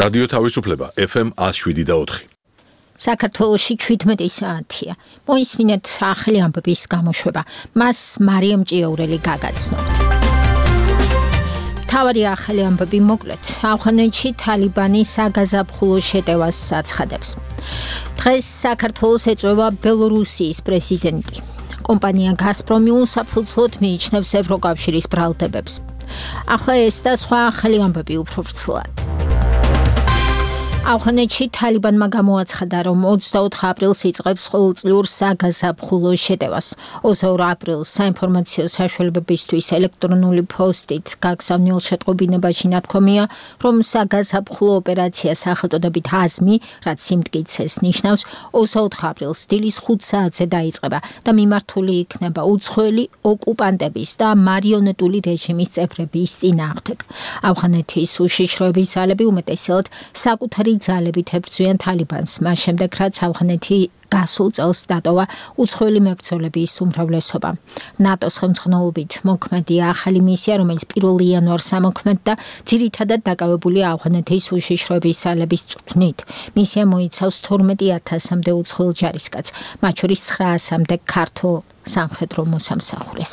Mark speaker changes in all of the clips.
Speaker 1: რადიო თავისუფლება FM 107.4.
Speaker 2: საქართველოში 17 საათია. მოისმინეთ ახალი ამბების გამოშვება. მას მარიამ ჭიაურელი გაგაცნობთ. თავარი ახალი ამბები მოკლედ. ავღანეთში თალიბანი საგაზაფხულო შეტევას აცხადებს. დღეს საქართველოს ეწვევა ბელორუსიის პრეზიდენტი. კომპანია გაზპრომი უსაფუძვლოდ მიიჩნევს ევროკავშირის ბრალდებებს. ახლა ეს და სხვა ახალი ამბები უფრო ვრცლად. ავღანეთში თალიბანმა გამოაცხადა, რომ 24 აპრილს იწყებს ყოველწლიურ საგაზაფხულო შეტევას. 22 აპრილს საინფორმაციო საშუალებებისთვის ელექტრონული პოსტით გაგზავნილ შეტყობინებაში ნათქვამია, რომ საგაზაფხულო ოპერაცია სახელწოდებით აზმი, რაც სიმტკიცეს ნიშნავს, 24 აპრილს დილის 5 საათზე დაიწყება და მიმართული იქნება უცხოელი ოკუპანტების და მარიონეტული რეჟიმის წევრების წინააღმდეგ. ავღანეთის უშიშროების ძალები უმეტესად საკუთარი ძალებით ებრძვიან თალიბანს, მას შემდეგ რაც ავღანეთი გასულ წელს დატოვა უცხოელი მებრძოლების უმრავლესობა. ნატოს ხელმძღვანელობით მოქმედია ახალი მისია, რომელიც 1 იანვარს ამოქმედდა, ძირითადად დაკავებულია ავღანეთის უშიშროების ძალების წვრთნით. მისია მოიცავს 12,000-მდე უცხოელ ჯარისკაცს, მათ შორის 900-მდე ქართულ სამხედრო მოსამსახურეს.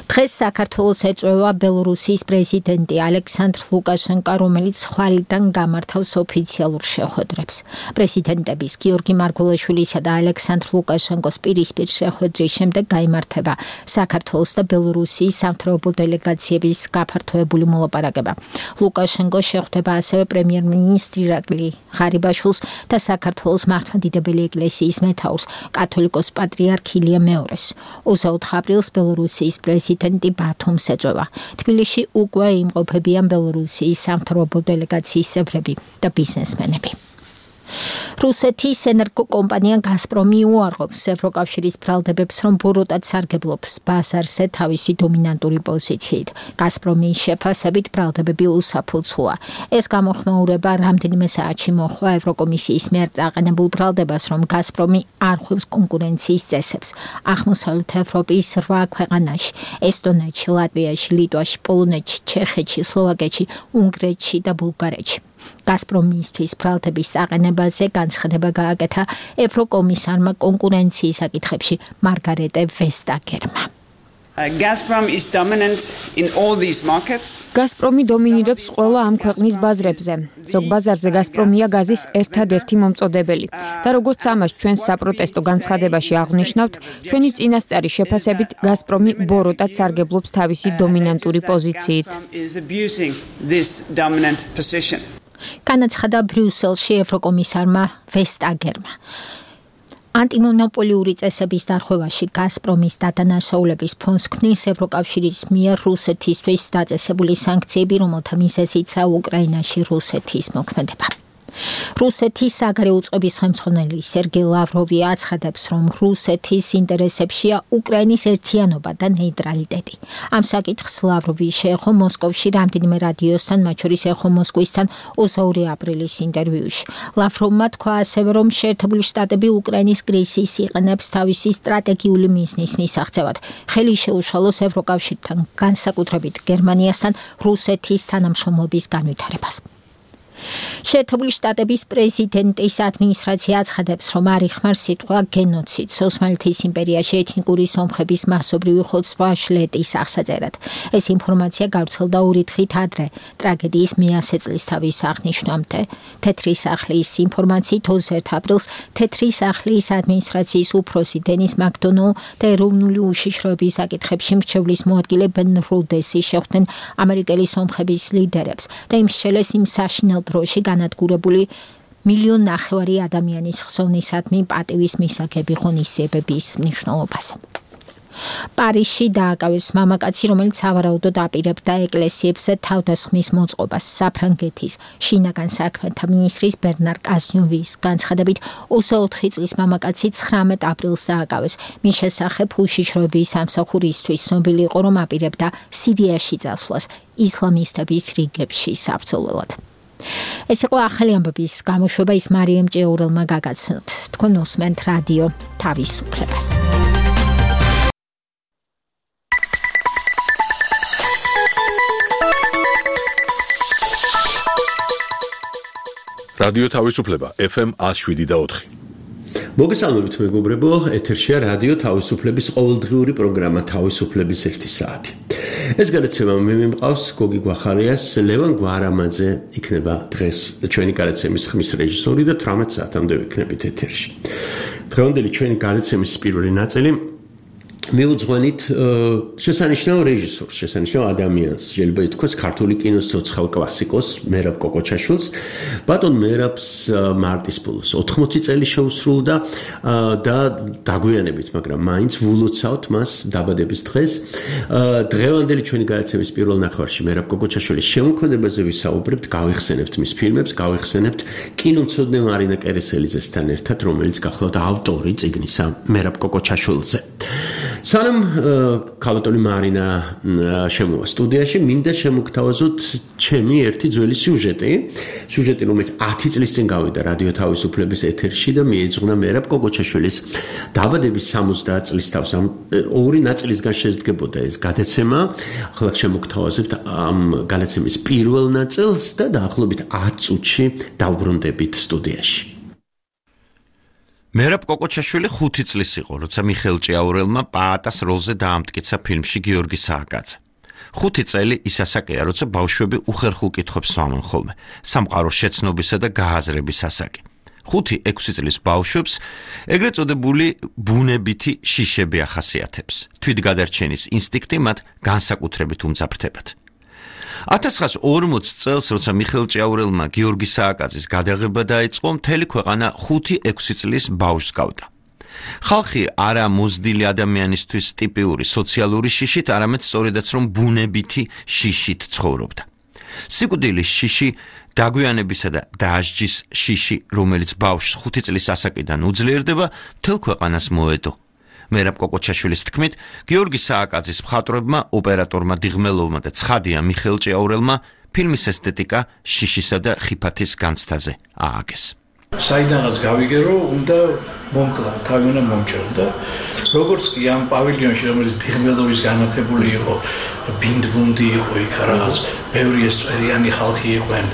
Speaker 2: დღეს საქართველოს ეწვევა ბელორუსიის პრეზიდენტი ალექსანდრ ლუკაშენკო, რომელიც ხვალიდან გამართავს ოფიციალურ შეხვედრებს. პრეზიდენტების გიორგი მარგველაშვილისა და ალექსანდრ ლუკაშენკოს პირისპირ შეხვედრის შემდეგ გაიმართება საქართველოს და ბელორუსიის სამთავრობო დელეგაციების გაფართოებული მოლაპარაკება. ლუკაშენკო შეხვდება ასევე პრემიერ-მინისტრი ირაკლი ღარიბაშვილს და საქართველოს მართლმადიდებელი ეკლესიის მეთაურს, კათოლიკოს პატრიარქ ილია მეორეს. 24 აპრილს ბელორუსიის პრეზიდენტი ბათუმს ეწვევა. თბილისში უკვე იმყოფებიან ბელორუსიის სამთავრობო დელეგაციის წევრები და ბიზნესმენები. რუსეთის ენერგოკომპანია გაზპრომი უარყოფს ევროკავშირის ბრალდებებს, რომ ბოროტად სარგებლობს ბაზარზე თავისი დომინანტური პოზიციით. გაზპრომის შეფასებით ბრალდებები უსაფუძვოა. ეს გამოხმაურება რამდენიმე საათში მოჰყვა ევროკომისიის მიერ წაყენებულ ბრალდებას, რომ გაზპრომი არ ხვევს კონკურენციის წესებს. აღმოსავლეთ ევროპის 8 ქვეყანაში, ესტონეთში, ლატვიაში, ლიტვაში, პოლონეთში, ჩეხეთში, სლოვაკეთში, უნგრეთში და ბულგარეთში. გაზპრომისთვის ბრალდების წაყენებაზე განცხადება გააკეთა ევროკომისარმა კონკურენციის საკითხებში მარგარეტე ვესტაგერმა.
Speaker 3: გაზპრომი დომინირებს ყველა ამ ქვეყნის ბაზრებზე. ზოგ ბაზარზე გაზპრომია გაზის ერთადერთი მომწოდებელი და როგორც ამას ჩვენ საპროტესტო განცხადებაში აღვნიშნავთ, ჩვენი წინასწარი შეფასებით გაზპრომი ბოროტად სარგებლობს თავისი დომინანტური პოზიციით.
Speaker 2: განაცხადა ბრიუსელში ევროკომისარმა ვესტაგერმა. ანტიმონოპოლიური წესების დარღვევაში გაზპრომის დადანაშაულების ფონს ქმნის ევროკავშირის მიერ რუსეთისთვის დაწესებული სანქციები, რომელთა მიზეზიცაა უკრაინაში რუსეთის მოქმედება. რუსეთის საგარეო უწყების ხელმძღვანელი სერგეი ლავროვი აცხადებს, რომ რუსეთის ინტერესებშია უკრაინის ერთიანობა და ნეიტრალიტეტი. ამ საკითხს ლავროვი შეეხო მოსკოვში რამდენიმე რადიოსთან, მათ შორის ეხო მოსკვისთან 22 აპრილის ინტერვიუში. ლავროვმა თქვა ასევე, რომ შეერთებული შტატები უკრაინის კრიზისს იყენებს თავისი სტრატეგიული მიზნის მისაღწევად. ხელი შეუშალოს ევროკავშირთან, განსაკუთრებით გერმანიასთან რუსეთის თანამშრომლობის განვითარებას. შეერთებული შტატების პრეზიდენტის ადმინისტრაცია აცხადებს, რომ არ იხმარს სიტყვა გენოციდს ოსმალეთის იმპერიაში ეთნიკური სომხების მასობრივი ხოცვა შლეტის აღსაწერად. ეს ინფორმაცია გავრცელდა 2 დღით ადრე ტრაგედიის მე-100 წლისთავის აღნიშვნამდე. თეთრი სახლის ინფორმაციით 21 აპრილს თეთრი სახლის ადმინისტრაციის უფროსი დენის მაკდონო და ეროვნული უშიშროების საკითხებში მრჩევლის მოადგილე ბენ რუდესი შეხვდნენ ამერიკელი სომხების ლიდერებს და იმ შეშელეს იმ საშინელ დროში განადგურებული 1,5 მილიონი ადამიანის ხსოვნისადმი პატივის მისაღები ღონისძიებების მნიშვნელობაზე. პარიზში დააკავეს მამაკაცი, რომელიც სავარაუდოდ აპირებდა ეკლესიებზე თავდასხმის მოწყობას. საფრანგეთის შინაგან საქმეთა მინისტრის ბერნარ კაზნიოვის განცხადებით 24 წლის მამაკაცი 19 აპრილს დააკავეს. მის შესახებ უშიშროების სამსახურისთვის ცნობილი იყო, რომ აპირებდა სირიაში წასვლას ისლამისტების რიგებში საბრძოლველად. ეს იყო ახალი ამბების გამოშვება, ის მარიამ ჭიაურელმა გაგაცნოთ. თქვენ უსმენთ რადიო თავისუფლებას.
Speaker 1: რადიო თავისუფლება FM 107.4.
Speaker 4: მოგესალმებით მეგობრებო, ეთერშია რადიო თავისუფლების ყოველდღიური პროგრამა თავისუფლების 1 საათი. ეს გადაცემა მე მიმყავს გოგი გვახარიას, ლევან გვარამაძე იქნება დღეს ჩვენი გადაცემის ხმის რეჟისორი და 18 საათამდე ვიქნებით ეთერში. დღევანდელი ჩვენი გადაცემის პირველი ნაწილი მიუძღვენით შესანიშნავ რეჟისორს, შესანიშნავ ადამიანს, შეიძლება ითქვას ქართული კინოს ცოცხალ კლასიკოს მერაბ კოკოჩაშვილს. ბატონ მერაბს მარტის ბოლოს 80 წელი შეუსრულდა და დაგვიანებით, მაგრამ მაინც ვულოცავთ მას დაბადების დღეს. დღევანდელი ჩვენი გადაცემის პირველ ნახევარში მერაბ კოკოჩაშვილის შემოქმედებაზე ვისაუბრებთ, გავიხსენებთ მის ფილმებს, გავიხსენებთ კინომცოდნე მარინა კერესელიძესთან ერთად, რომელიც გახლავთ ავტორი წიგნისა მერაბ კოკოჩაშვილზე. სანამ ქალბატონი მარინა შემოვა სტუდიაში, მინდა შემოგთავაზოთ ჩემი ერთი ძველი სიუჟეტი, რომელიც 10 წლის წინ გავიდა რადიო თავისუფლების ეთერში და მიეძღვნა მერაბ კოკოჩაშვილის დაბადების 70 წლის თავს. ორი ნაწილისგან შედგებოდა ეს გადაცემა. ახლა შემოგთავაზებთ ამ გადაცემის პირველ ნაწილს და დაახლოებით 10 წუთში დავბრუნდებით სტუდიაში.
Speaker 5: მერაბ კოკოჩაშვილი 5 წლის იყო, როცა მიხეილ ჭიაურელმა პაატას როლზე დაამტკიცა ფილმში გიორგი სააკაძე. 5 წელი ის ასაკია, როცა ბავშვები უხერხულ კითხვებს სვამენ ხოლმე, სამყაროს შეცნობისა და გააზრების ასაკი. 5-6 წლის ბავშვებს ეგრეთ წოდებული ბუნებითი შიშები ახასიათებს. თვითგადარჩენის ინსტინქტი მათ განსაკუთრებით უმძაფრდებათ. 1940 წელს, როცა მიხეილ ჭიაურელმა გიორგი სააკაძის გადაღება დაიწყო, მთელი ქვეყანა 5-6 წლის ბავშვს გავდა. ხალხი არა მოზრდილი ადამიანისთვის ტიპიური სოციალური შიშით, არამედ სწორედაც რომ ბუნებითი შიშით ცხოვრობდა. სიკვდილის შიში, დაგვიანებისა და დასჯის შიში, რომელიც ბავშვს 5 წლის ასაკიდან უძლიერდება, მთელ ქვეყანას მოედო. მერაბ კოკოჩაშვილის თქმით, გიორგი სააკაძის მხატვრებმა, ოპერატორმა დიღმელოვმა და ცხადია მიხეილ ჭიაურელმა ფილმის ესთეტიკა შიშისა და ხიფათის განცდაზე ააგეს.
Speaker 6: საიდანაც გავიგე, რომ უნდა მომკლა, თავი უნდა მომჭერდა. როგორც კი ამ პავილიონში, რომელიც დიღმელოვის განათებული იყო, ბინდბუნდი იყო იქ რაღაც, ბევრი ესწვერიანი ხალხი იყვნენ.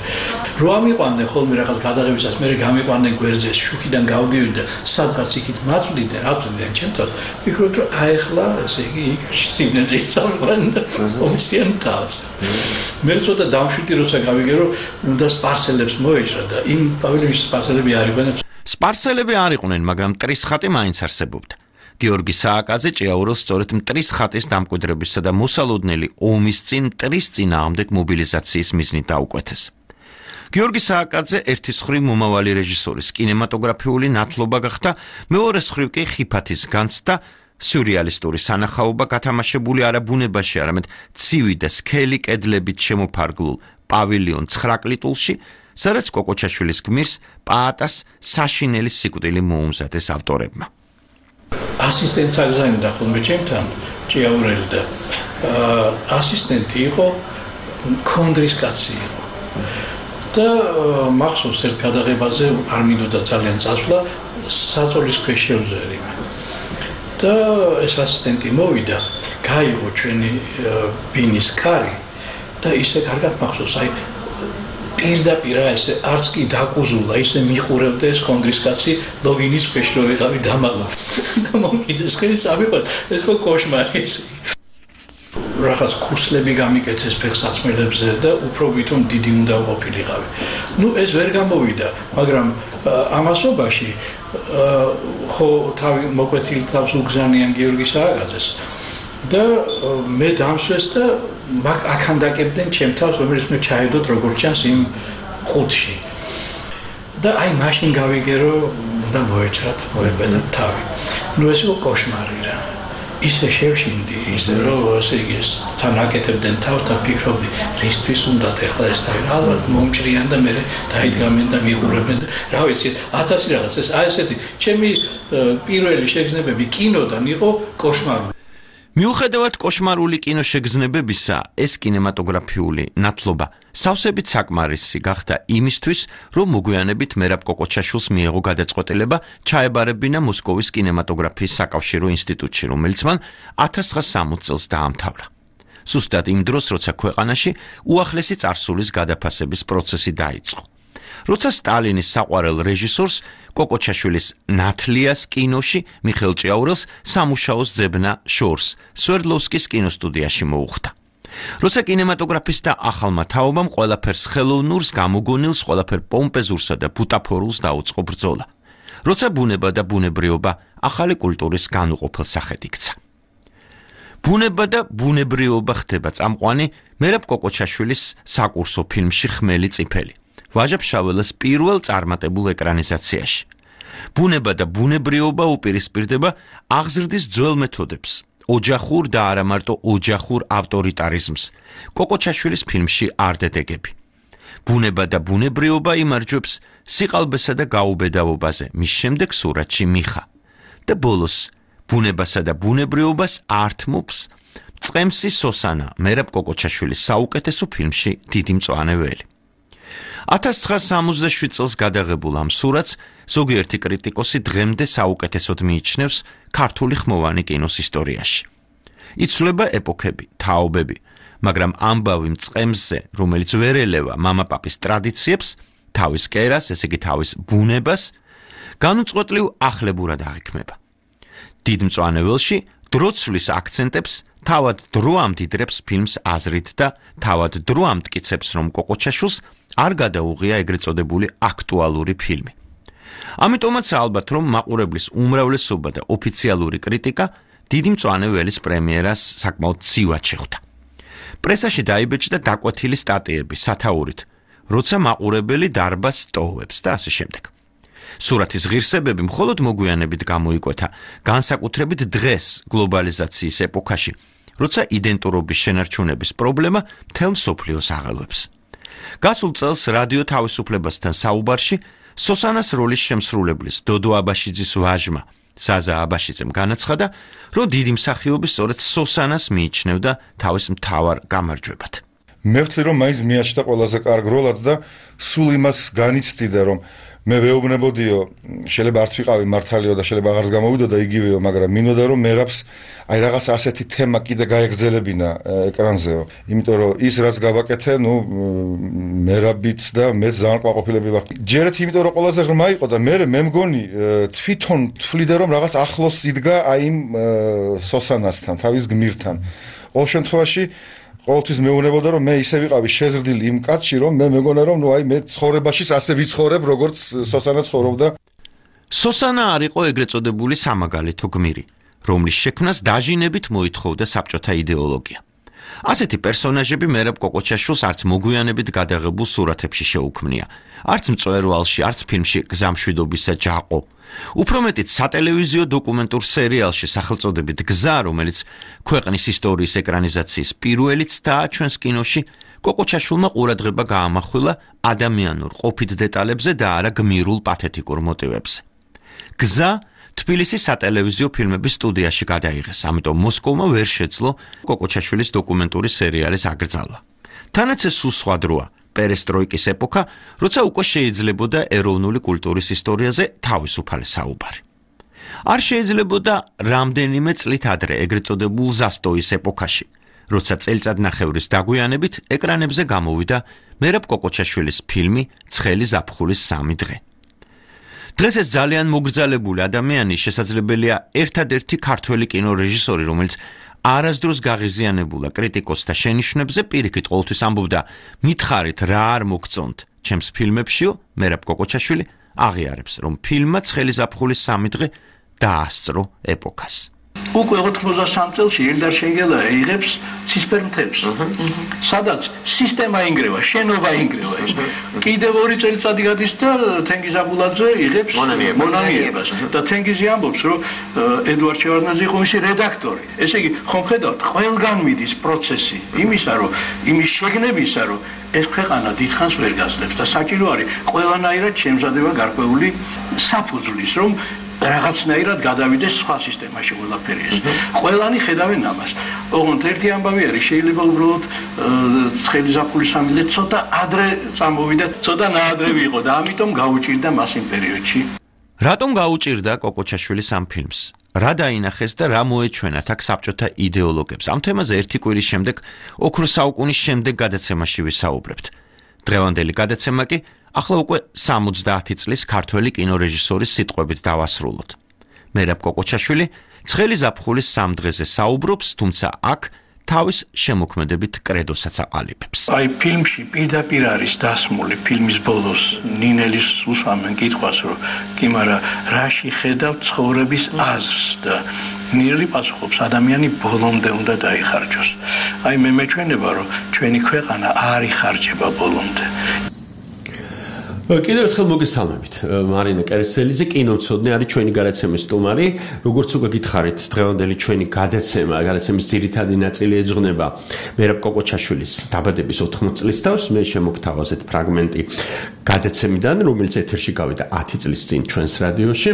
Speaker 6: რო ამიყვანდნენ ხოლმე რაღაც გადაღებისას, მე გამიყვანდნენ გვერდზე, შუქიდან გავდივდი და სადღაც იქით მაწვდიდნენ ჩემთან. ვფიქრობ, რომ აეხლა, ესე იგი, იქ სიმნეძე წავიყვან და მომწიან თავს. მე ცოტა დამშვიდი, როცა გავიგე, რომ უნდა სპარსელებს მოეჭრა და იმ პავილიონში სპარსელები არ იყვნენ.
Speaker 5: სპარსელები არ იყვნენ, მაგრამ მტრის ხატი მაინც არსებობდა. გიორგი სააკაძე ჭიაურელს სწორედ მტრის ხატის დამკვიდრებისა და მოსალოდნელი ომის წინ მტრის წინააღმდეგ მობილიზაციის მიზნით დაუკვეთეს. გიორგი სააკაძე ერთის მხრივ მომავალი რეჟისორის კინემატოგრაფიული ნათლობა გახდა, მეორეს მხრივ კი ხიფათის განცდა, სიურეალისტური სანახაობა გათამაშებული არა ბუნებაში, არამედ ცივი და სქელი კედლებით შემოფარგლულ პავილიონ 9 კლიტულში, სადაც კოკოჩაშვილის გმირს პაატას საშინელი სიკვდილი მოუმზადეს ავტორებმა.
Speaker 6: ასისტენტს აგზავნიდა ხოლმე ჩემთან ჭიაურელი და ასისტენტი იყო კონდრის კაცი იყო. და მახსოვს ერთ გადაღებაზე არ მინდოდა ძალიან წასვლა, საწოლის ქვეშ შევზერი. და ეს ასისტენტი მოვიდა, გაიღო ჩვენი ბინის კარი და ისე კარგად მახსოვს, აი პირდაპირ ესე არც კი დაკუზულა, ისე მიყურებდა ეს კონდრის კაცი ლოგინის ქვეშ რო ვიყავი დამალო. და მომკიდეს ხელი წავიყვან, ეს ხო კოშმარი ეს. რაღაც კურსლები გამიკეთეს ფეხსაცმელებზე და უფრო ვითომ დიდი უნდა ყოფილიყავი. ეს ვერ გამოვიდა, მაგრამ ამასობაში ხო თავი მოკვეთილი თავს უგზანიან გიორგი სააკაძეს და მე დამსვეს და აქან დაკებდნენ ჩემ თავს, რომელიც მე ჩაედოთ როგორც ჩანს იმ ხუთში. და აი მაშინ გავიგე, რომ უნდა მოეჭრათ, მოებედოთ თავი. ეს იყო კოშმარი რა. ისე შევშინდი, ისე რომ ესე იგი თან აკეთებდნენ თავს და ფიქრობდი, რისთვის უნდა ეხლა ეს თავი, ალბათ მომჭრიან და მე დაიდგამენ და მიყურებენ. რა ვიცი, 1000 რაღაც ეს აი ესეთი ჩემი პირველი შეგრძნებები კინოდან იყო კოშმარული.
Speaker 5: მიუხედავად კოშმარული კინოშეგრძნებებისა, ეს კინემატოგრაფიული ნათლობა სავსებით საკმარისი გახდა იმისთვის, რომ მოგვიანებით მერაბ კოკოჩაშვილს მიეღო გადაწყვეტილება ჩაებარებინა მოსკოვის კინემატოგრაფიის საკავშირო ინსტიტუტში, რომელიც მან 1960 წელს დაამთავრა. ზუსტად იმ დროს, როცა ქვეყანაში უახლესი წარსულის გადაფასების პროცესი დაიწყო. როცა სტალინის საყვარელ რეჟისორს კოკოჩაშვილის ნათლიას კინოში მიხეილ ჭიაურელს სამუშაოს ძებნა შორს სვერდლოვსკის კინოსტუდიაში მოუხდა. როცა კინემატოგრაფისტთა ახალმა თაობამ ყველაფერს ხელოვნურს, გამოგონილს, ყველაფერ პომპეზურსა და ბუტაფორულს დაუწყო ბრძოლა. როცა ბუნება და ბუნებრიობა ახალი კულტურის განუყოფელ სახედ იქცა. ბუნება და ბუნებრიობა ხდება წამყვანი მერაბ კოკოჩაშვილის საკურსო ფილმში ხმელი წიფელი. ვაჟა-ფშაველას პირველ წარმატებულ ეკრანიზაციაში. ბუნება და ბუნებრიობა უპირისპირდება აღზრდის ძველ მეთოდებს, ოჯახურ და არა მარტო ოჯახურ ავტორიტარიზმს. კოკოჩაშვილის ფილმში არდედეგები. ბუნება და ბუნებრიობა იმარჯვებს სიყალბესა და გაუბედავობაზე, მის შემდეგ სურათში მიხა. და ბოლოს ბუნებასა და ბუნებრიობას ართმობს წყემსი სოსანა მერაბ კოკოჩაშვილის საუკეთესო ფილმში დიდი მწვანე ველი. 1967 წელს გადაღებულ ამ სურათს ზოგიერთი კრიტიკოსი დღემდე საუკეთესოდ მიიჩნევს ქართული ხმოვანი კინოს ისტორიაში. იცვლება ეპოქები, თაობები, მაგრამ ამბავი მწყემსზე, რომელიც ვერ ელევა მამაპაპის ტრადიციებს, თავის კერას, ესე იგი თავის ბუნებას, განუწყვეტლივ ახლებურად აღიქმება. დიდ მწვანე ველში დროცვლის აქცენტებს თავად დრო ამდიდრებს ფილმს აზრით და თავად დრო ამტკიცებს, რომ კოკოჩაშვილს არ გადაუღია ეგრეთ წოდებული აქტუალური ფილმი. ამიტომაც ალბათ, რომ მაყურებლის უმრავლესობა და ოფიციალური კრიტიკა დიდი მწვანე ველის პრემიერას საკმაოდ ცივად შეხვდა. პრესაში დაიბეჭდა დაკვეთილი სტატიები სათაურით, როცა მაყურებელი დარბაზს ტოვებს და ასე შემდეგ. სურათის ღირსებები მხოლოდ მოგვიანებით გამოიკვეთა, განსაკუთრებით დღეს გლობალიზაციის ეპოქაში, როცა იდენტურობის შენარჩუნების პრობლემა მთელ მსოფლიოს აღელვებს. გასულ წელს რადიო თავისუფლებასთან საუბარში სოსანას როლის შემსრულებლის დოდო აბაშიძის ვაჟმა საზა აბაშიძემ განაცხადა, რომ დიდი მსახიობი სწორედ სოსანას მიიჩნევდა თავის მთავარ გამარჯვებად.
Speaker 7: მე ვთვლი, რომ მაინც მიაჩნდა ყველაზე კარგ როლად და სულ იმას განიცდიდა, რომ მე ვეუბნებოდიო, შეიძლება არც ვიყავი მართალიო და შეიძლება აღარც გამოვიდოდა იგივეო, მაგრამ მინდოდა რომ მერაბს აი რაღაც ასეთი თემა კიდე გაეგრძელებინა ეკრანზეო. იმიტომ რომ ის რაც გავაკეთე, მერაბიც და მეც ძალიან ყვაყოფილები ვარ. ჯერეთ იმიტომ რომ ყველაზე ღრმა იყო და მე მგონი თვითონ თვლიდა რომ რაღაც ახლოს იდგა აი იმ სოსანასთან, თავის გმირთან. ყოველ შემთხვევაში ყოველთვის მეუბნებოდა რომ მე ისე ვიყავი შეზრდილი იმ კაცში, რომ მე მეგონა რომ აი მე ცხოვრებაშიც ასე ვიცხოვრებ, როგორც სოსანა ცხოვრობდა.
Speaker 5: სოსანა არ იყო ეგრეთ წოდებული სამაგალითო გმირი, რომლის შექმნას დაჟინებით მოითხოვდა საბჭოთა იდეოლოგია. ასეთი პერსონაჟები მერაბ კოკოჩაშვილს არც მოგვიანებით გადაღებულ სურათებში შეუქმნია, არც მწვერვალში, არც ფილმში გზამშვიდობისა ჯაყო. უფრო მეტიც სატელევიზიო დოკუმენტურ სერიალში სახელწოდებით გზა, რომელიც ქვეყნის ისტორიის ეკრანიზაციის პირველი ცდაა ჩვენს კინოში, კოკოჩაშვილმა ყურადღება გაამახვილა ადამიანურ ყოფით დეტალებზე და არა გმირულ პათეტიკურ მოტივებზე. გზა თბილისის სატელევიზიო ფილმების სტუდიაში გადაიღეს, ამიტომ მოსკოვმა ვერ შეძლო კოკოჩაშვილის დოკუმენტური სერიალის აკრძალვა. თანაც ეს სულ სხვა დროა, პერესტროიკის ეპოქა, როცა უკვე შეიძლებოდა ეროვნული კულტურის ისტორიაზე თავისუფალი საუბარი. არ შეიძლებოდა რამდენიმე წლით ადრე ეგრეთ წოდებულ ზასტოის ეპოქაში, როცა წელიწადნახევრის დაგვიანებით ეკრანებზე გამოვიდა მერაბ კოკოჩაშვილის ფილმი ცხელი ზაფხულის 3 დღე. დღეს ეს ძალიან მოგრძალებული ადამიანი შესაძლებელია ერთადერთი ქართველი კინორეჟისორი, რომელიც არასდროს გაღიზიანებულა კრიტიკოსთა შენიშვნებზე, პირიქით ყოველთვის ამბობდა, მითხარით რა არ მოგწონთ ჩემს ფილმებშიო, მერაბ კოკოჩაშვილი აღიარებს, რომ ფილმმა ცხელი ზაფხულის 3 დღე დაასწრო ეპოქას.
Speaker 6: უკვე 83 წელს ელდარ შენგელა იღებს ცისფერ მთებს. სადაც სისტემა ინგრევა, შენობა ინგრევა ის. კიდევ 2 წელიწადი გადის და თენგიზ აბულაძე იღებს მონანიებას. და თენგიზი ამბობს, რომ ედუარდ შევარდნაძე იყო მისი რედაქტორი. ესე იგი, ხომ ხედავთ, ყველგან მიდის პროცესი იმისა, რომ იმის შეგნებისა, რომ ეს ქვეყანა დიდხანს ვერ გაძლებს და საჭირო არის ყველანაირად შემზადება გარკვეული საფუძვლის, რომ რაღაცნაირად გადავიდეს სხვა სისტემაში ყველაფერი ეს. ყველანი ხედავენ ამას. ოღონდ ერთი ამბავი არის, შეიძლება უბრალოდ ცხელი ზაფხულის 3 დღე ცოტა ადრე წამოვიდა, ცოტა ნაადრევი იყო და ამიტომ გაუჭირდა მას იმ პერიოდში.
Speaker 5: რატომ გაუჭირდა კოკოჩაშვილის ამ ფილმს? რა დაინახეს და რა მოეჩვენათ აქ საბჭოთა იდეოლოგებს? ამ თემაზე ერთი კვირის შემდეგ, ოქროს საუკუნის შემდეგ გადაცემაში ვისაუბრებთ. დღევანდელი გადაცემა კი ახლა უკვე 70 წლის ქართველი კინორეჟისორის სიტყვებით დავასრულოთ. მერაბ კოკოჩაშვილი ცხელი ზაფხულის სამ დღეზე საუბრობს, თუმცა აქ თავის შემოქმედებით კრედოსაც აყალიბებს.
Speaker 6: აი ფილმში პირდაპირ არის დასმული ფილმის ბოლოს ნინელის უსვამენ კითხვას, რომ კი, მაგრამ რაში ხედავ ცხოვრების აზრს და ნინელი პასუხობს, ადამიანი ბოლომდე უნდა დაიხარჯოს. აი მე მეჩვენება, რომ ჩვენი ქვეყანა არ იხარჯება ბოლომდე.
Speaker 4: კიდევ ერთხელ მოგესალმებით. მარინა კერესელიძე, კინომცოდნე არის ჩვენი გადაცემის სტუმარი. როგორც უკვე გითხარით, დღევანდელი ჩვენი გადაცემის ძირითადი ნაწილი ეძღვნება მერაბ კოკოჩაშვილის დაბადების 80 წლის თავს. მე შემოგთავაზეთ ფრაგმენტი გადაცემიდან, რომელიც ეთერში გავიდა 10 წლის წინ ჩვენს რადიოში.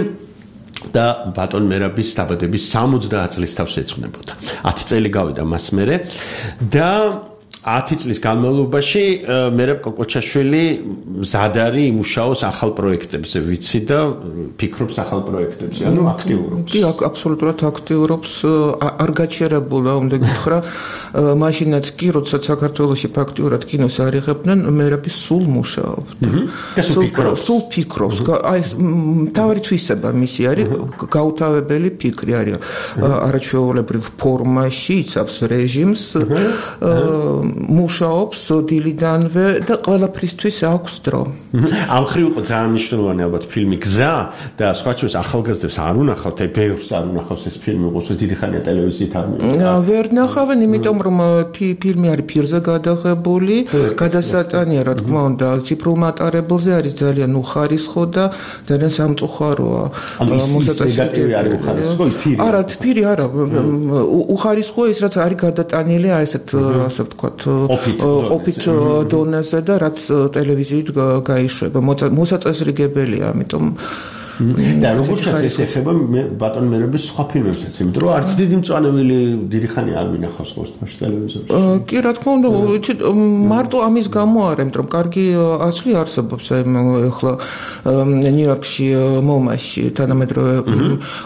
Speaker 4: და ბატონ მერაბის დაბადების 70 წლის თავს ეძღვნებოდა. 10 წელი გავიდა მას მერე და 10 წლის განმავლობაში მერაბ კოკოჩაშვილი მზად არის იმუშაოს ახალ პროექტებზე, ვიცი და ფიქრობს ახალ პროექტებზე, ანუ აქტიურობს.
Speaker 8: კი, აბსოლუტურად აქტიურობს, არ გაჩერებულა, უნდა გითხრა, მაშინაც კი, როდესაც საქართველოში ფაქტიურად კინოს არ იღებდნენ, მერაბი სულ მუშაობდა. სულ ფიქრობს. აი, თავი თვისება მისი არის, გაუთავებელი ფიქრი არის. არაჩვეულებრივ ფორმაში იცავს რეჟიმს, მუშაობს დილიდანვე და ყველაფრისთვის აქვს დრო.
Speaker 4: ამ მხრივ იყო ძალიან მნიშვნელოვანი ალბათ ფილმი გზა და სხვა ჩვენს ახალგაზრდებს არ უნახავთ, აი ბევრს არ უნახავს ეს ფილმი, როგორც დიდი ხანია ტელევიზიით არ მიიღო.
Speaker 8: ვერ ნახავენ, იმიტომ რომ ფილმი არის ფირზე გადაღებული, გადასატანია, რა თქმა უნდა, ციფრულ მატარებელზე არის ძალიან უხარისხო და ძალიან სამწუხაროა.
Speaker 4: მოსაწესრიგებელი არის უხარისხო ის ფილმი.
Speaker 8: არა, ფირი არა, უხარისხოა ის, რაც არის გადატანილი, აი ესეთ, ასე ვთქვათ, ოფით დონეზე და რაც ტელევიზიით გაიშვება. მოსაწესრიგებელია, ამიტომ
Speaker 4: და როგორც ეს ეხება ბატონ მერაბის სხვა ფილმებსაც, იმიტომ რომ არც დიდი მწვანეველი დიდი ხანი არ მინახავს ყოველთვის ტელევიზორში.
Speaker 8: კი, რა თქმა უნდა, მარტო ამის გამო არა, იმიტომ რომ კარგი ასლი არსებობს, აი ახლა ნიუ-იორკში მომაში თანამედროვე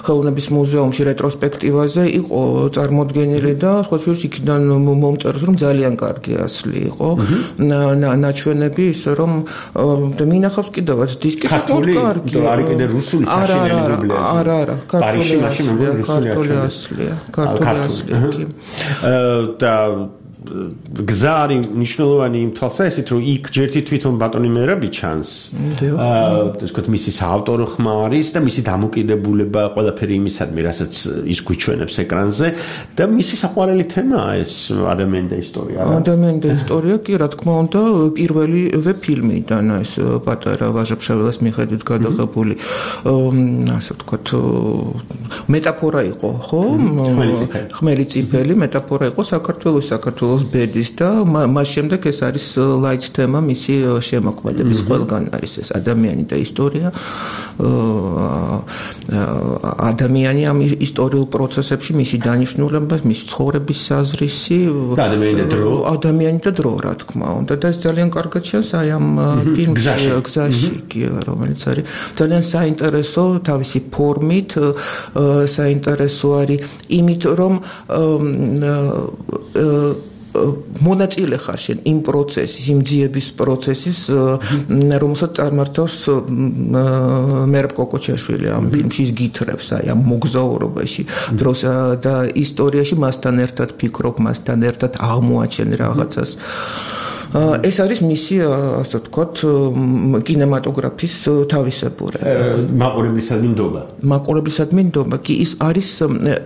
Speaker 8: ხელოვნების მუზეუმში რეტროსპექტივაზე იყო წარმოდგენილი და სხვა შორის იქიდან მომწერს, რომ ძალიან კარგი ასლი იყო. ნაჩვენები ისე რომ მინახავს კიდევაც დისკი საკმაოდ კარგი.
Speaker 4: რუსული საშინელი დუბლაჟი.
Speaker 8: არა, ქართული ასლია.
Speaker 4: და გზა არის მნიშვნელოვანი იმ თვალსაზრისით, რომ იქ ჯერთი თვითონ ბატონი მერაბი ჩანს. ეს თქვა მისი საავტორო ხმა არის და მისი დამოკიდებულება ყველაფერი იმისადმი, რასაც ის გვიჩვენებს ეკრანზე და მისი საყვარელი თემაა ეს ადამიანი და ისტორია.
Speaker 8: ადამიანი და ისტორია, კი, რა თქმა უნდა, პირველივე ფილმიდან ეს პატარა ვაჟა-ფშაველას მიხედვით გადაღებული, ასე ვთქვათ, მეტაფორა იყო, ხო? ხმელი წიფელი მეტაფორა იყო საქართველოს ბედის და მას შემდეგ ეს არის ლაიც თემა მისი შემოქმედების ყველგან არის ეს ადამიანი და ისტორია. ადამიანი ამ ისტორიულ პროცესებში მისი დანიშნულება, მისი ცხოვრების საზრისი, ადამიანი და დრო, რა თქმა უნდა, და ეს ძალიან კარგად ჩანს აი ამ ფილმში გზაში, რომელიც არის ძალიან საინტერესო თავისი ფორმით, საინტერესო არის იმით, რომ მონაწილე ხარ შენ იმ პროცესის, იმ ძიების პროცესის, რომელსაც წარმართავს მერაბ კოკოჩაშვილი ამ ფილმში, ის გითხრებს აი ამ მოგზაურობაში, დროსა და ისტორიაში, მასთან ერთად ფიქრობ, მასთან ერთად აღმოაჩენ რაღაცას. ეს არის მისი, ასე ვთქვათ, კინემატოგრაფის თავისებურება. მაყურებლისადმი ნდობა, კი, ის არის,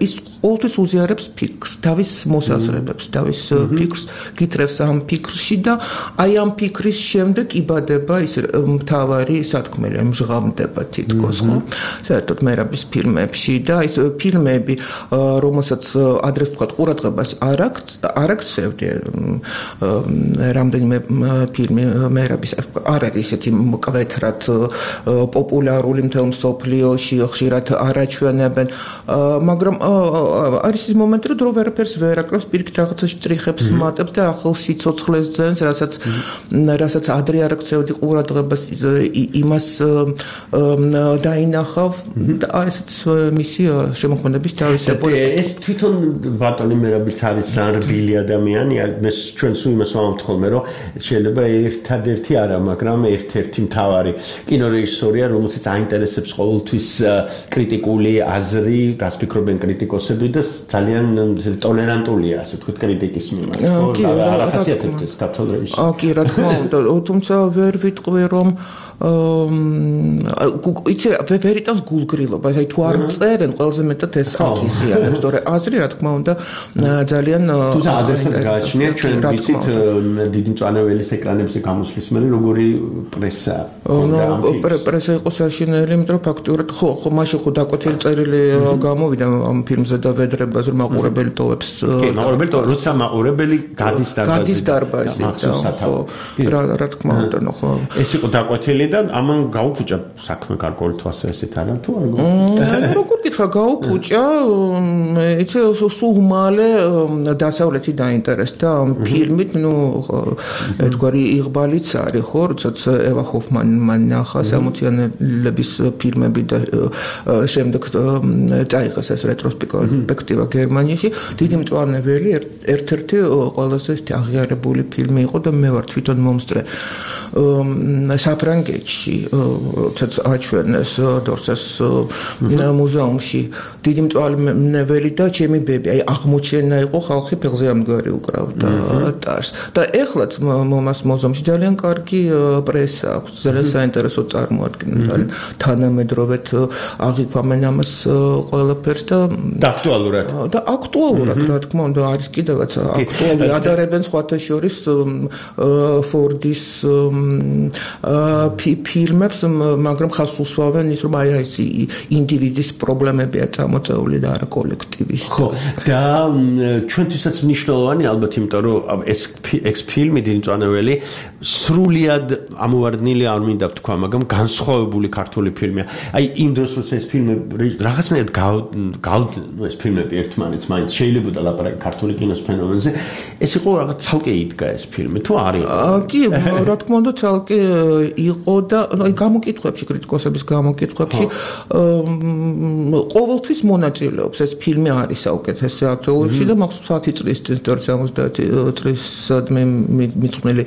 Speaker 8: ის ყოველთვის უზიარებს ფიქრს, თავის მოსაზრებებს, თავის ფიქრს, გითხრებს ამ ფიქრში და აი ამ ფიქრის შემდეგ იბადება ის მთავარი სათქმელი, მჟღავდება თითქოს, ხო? საერთოდ მერაბის ფილმებში და ის ფილმები, რომელსაც ადრე ვთქვათ, ყურადღებას არ აქცევდი, რამდენიმე ფილმი მერაბის არ არის ისეთი მკვეთრად პოპულარული მთელ მსოფლიოში, ხშირად არაჩვენებენ, მაგრამ არის ის მომენტი, რომ დრო ვერაფერს ვერ აკრავს, პირიქით რაღაცას ჭრიხებს მატებს და ახალ სიცოცხლეს ძენს, რასაც ადრე არ აქცევდი ყურადღებას, იმას დაინახავ და ესეც მისი შემოქმედების თავისებურება.
Speaker 4: ეს თვითონ ბატონი მერაბიც არის ძალიან რბილი ადამიანი, მე ჩვენ სულ იმას ვამბობთ ხოლმე, რომ რომ შეიძლება ერთადერთი არა, მაგრამ ერთ-ერთი მთავარი კინორეჟისორია, რომელსაც აინტერესებს ყოველთვის კრიტიკული აზრი, რას ფიქრობენ კრიტიკოსები და ძალიან ტოლერანტულია, ასე ვთქვით, კრიტიკის მიმართ. ხო, რა ხასიათებთ ეს ქართულ რეჟისორს?
Speaker 8: კი, რა თქმა უნდა, თუმცა ვერ ვიტყვი რომ იცი ვერ იტანს გულგრილობას, აი თუ არ წერენ, ყველაზე მეტად ეს აღიზიანებს, თორე აზრი რა თქმა უნდა ძალიან
Speaker 4: თუმცა აზრსაც გააჩნიათ ჩვენ ვიცით დიდი მწვანეველის ეკრანებზე გამოსვლის მერე როგორი პრესა
Speaker 8: ქონდა ამ ფილმს. პრესა იყო საშინელი, იმიტომ რომ ფაქტურად ხო მაშინ ხო დაკვეთილი წერილი გამოვიდა ამ ფილმზე და ვედრებას რომ მაყურებელი ტოვებს.
Speaker 4: კი, მაყურებელი როცა მაყურებელი გადის დარბაზში.
Speaker 8: ხო, რა თქმა უნდა, ხო.
Speaker 4: ეს იყო დაკვეთილი და ამან გაუფუჭა საქმე გარკვეული თვალსაზრისით არა თუ არ გაუფუჭა?
Speaker 8: როგორ გითხრა გაუფუჭა, იცი სულ მალე დასავლეთი დაინტერესდა ამ ფილმით, ნუ ერთგვარი იღბალიც არის, ხო, როდესაც ევა ჰოფმანმა ნახა 60-იანების ფილმები და შემდეგ წაიღეს ეს რეტროსპექტივა გერმანიაში. დიდი მწვანეველი ერთ-ერთი ყველაზე აღიარებული ფილმი იყო და მე ვარ თვითონ მომსწრე საფრანგეთში, როდესაც აჩვენეს დორსეს მუზეუმში დიდი მწვანეველი და ჩემი ბები, აი აღმოჩენა იყო ხალხი ფეხზე ამდგარი უკრავდა ტარს. და ეხლაც მომას მუზეუმში ძალიან კარგი პრესა აქვს, ძალიან საინტერესო წარმოადგენს, ძალიან თანამედროვედ აღიქვამენ ამას ყველაფერს და
Speaker 4: აქტუალურად.
Speaker 8: და აქტუალურად, რა თქმა უნდა, არის კიდევაც აქტუალური. ადარებენ სხვათა შორის ფორდის ფილმებს, მაგრამ ხას უსვავენ ის, რომ აი ეს ინდივიდის პრობლემებია წამოწეული და არა კოლექტივის.
Speaker 4: ხო, და ჩვენთვისაც მნიშვნელოვანი ალბათ, იმიტომ რომ ეს ფილმი დიდი მწვანეველი სრულიად ამოვარდნილი არ მინდა ვთქვა, მაგრამ განსხვავებული ქართული ფილმია. აი იმ დროს როცა ეს ფილმი რაღაცნაირად ეს ფილმები ერთმანეთს მაინც შეიძლება ლაპარაკი ქართული კინოს ფენომენზე, ეს იყო რაღაც ცალკე იდგა ეს ფილმი, თუ არ იყო?
Speaker 8: კი, რა თქმა უნდა, ცალკე იყო და აი გამოკითხვებში, კრიტიკოსების გამოკითხვებში ყოველთვის მონაწილეობს ეს ფილმი არის საუკეთესო აქტუალურში და მახსოვს 10 წლის წინ 70 წლისადმი მიწყვნილი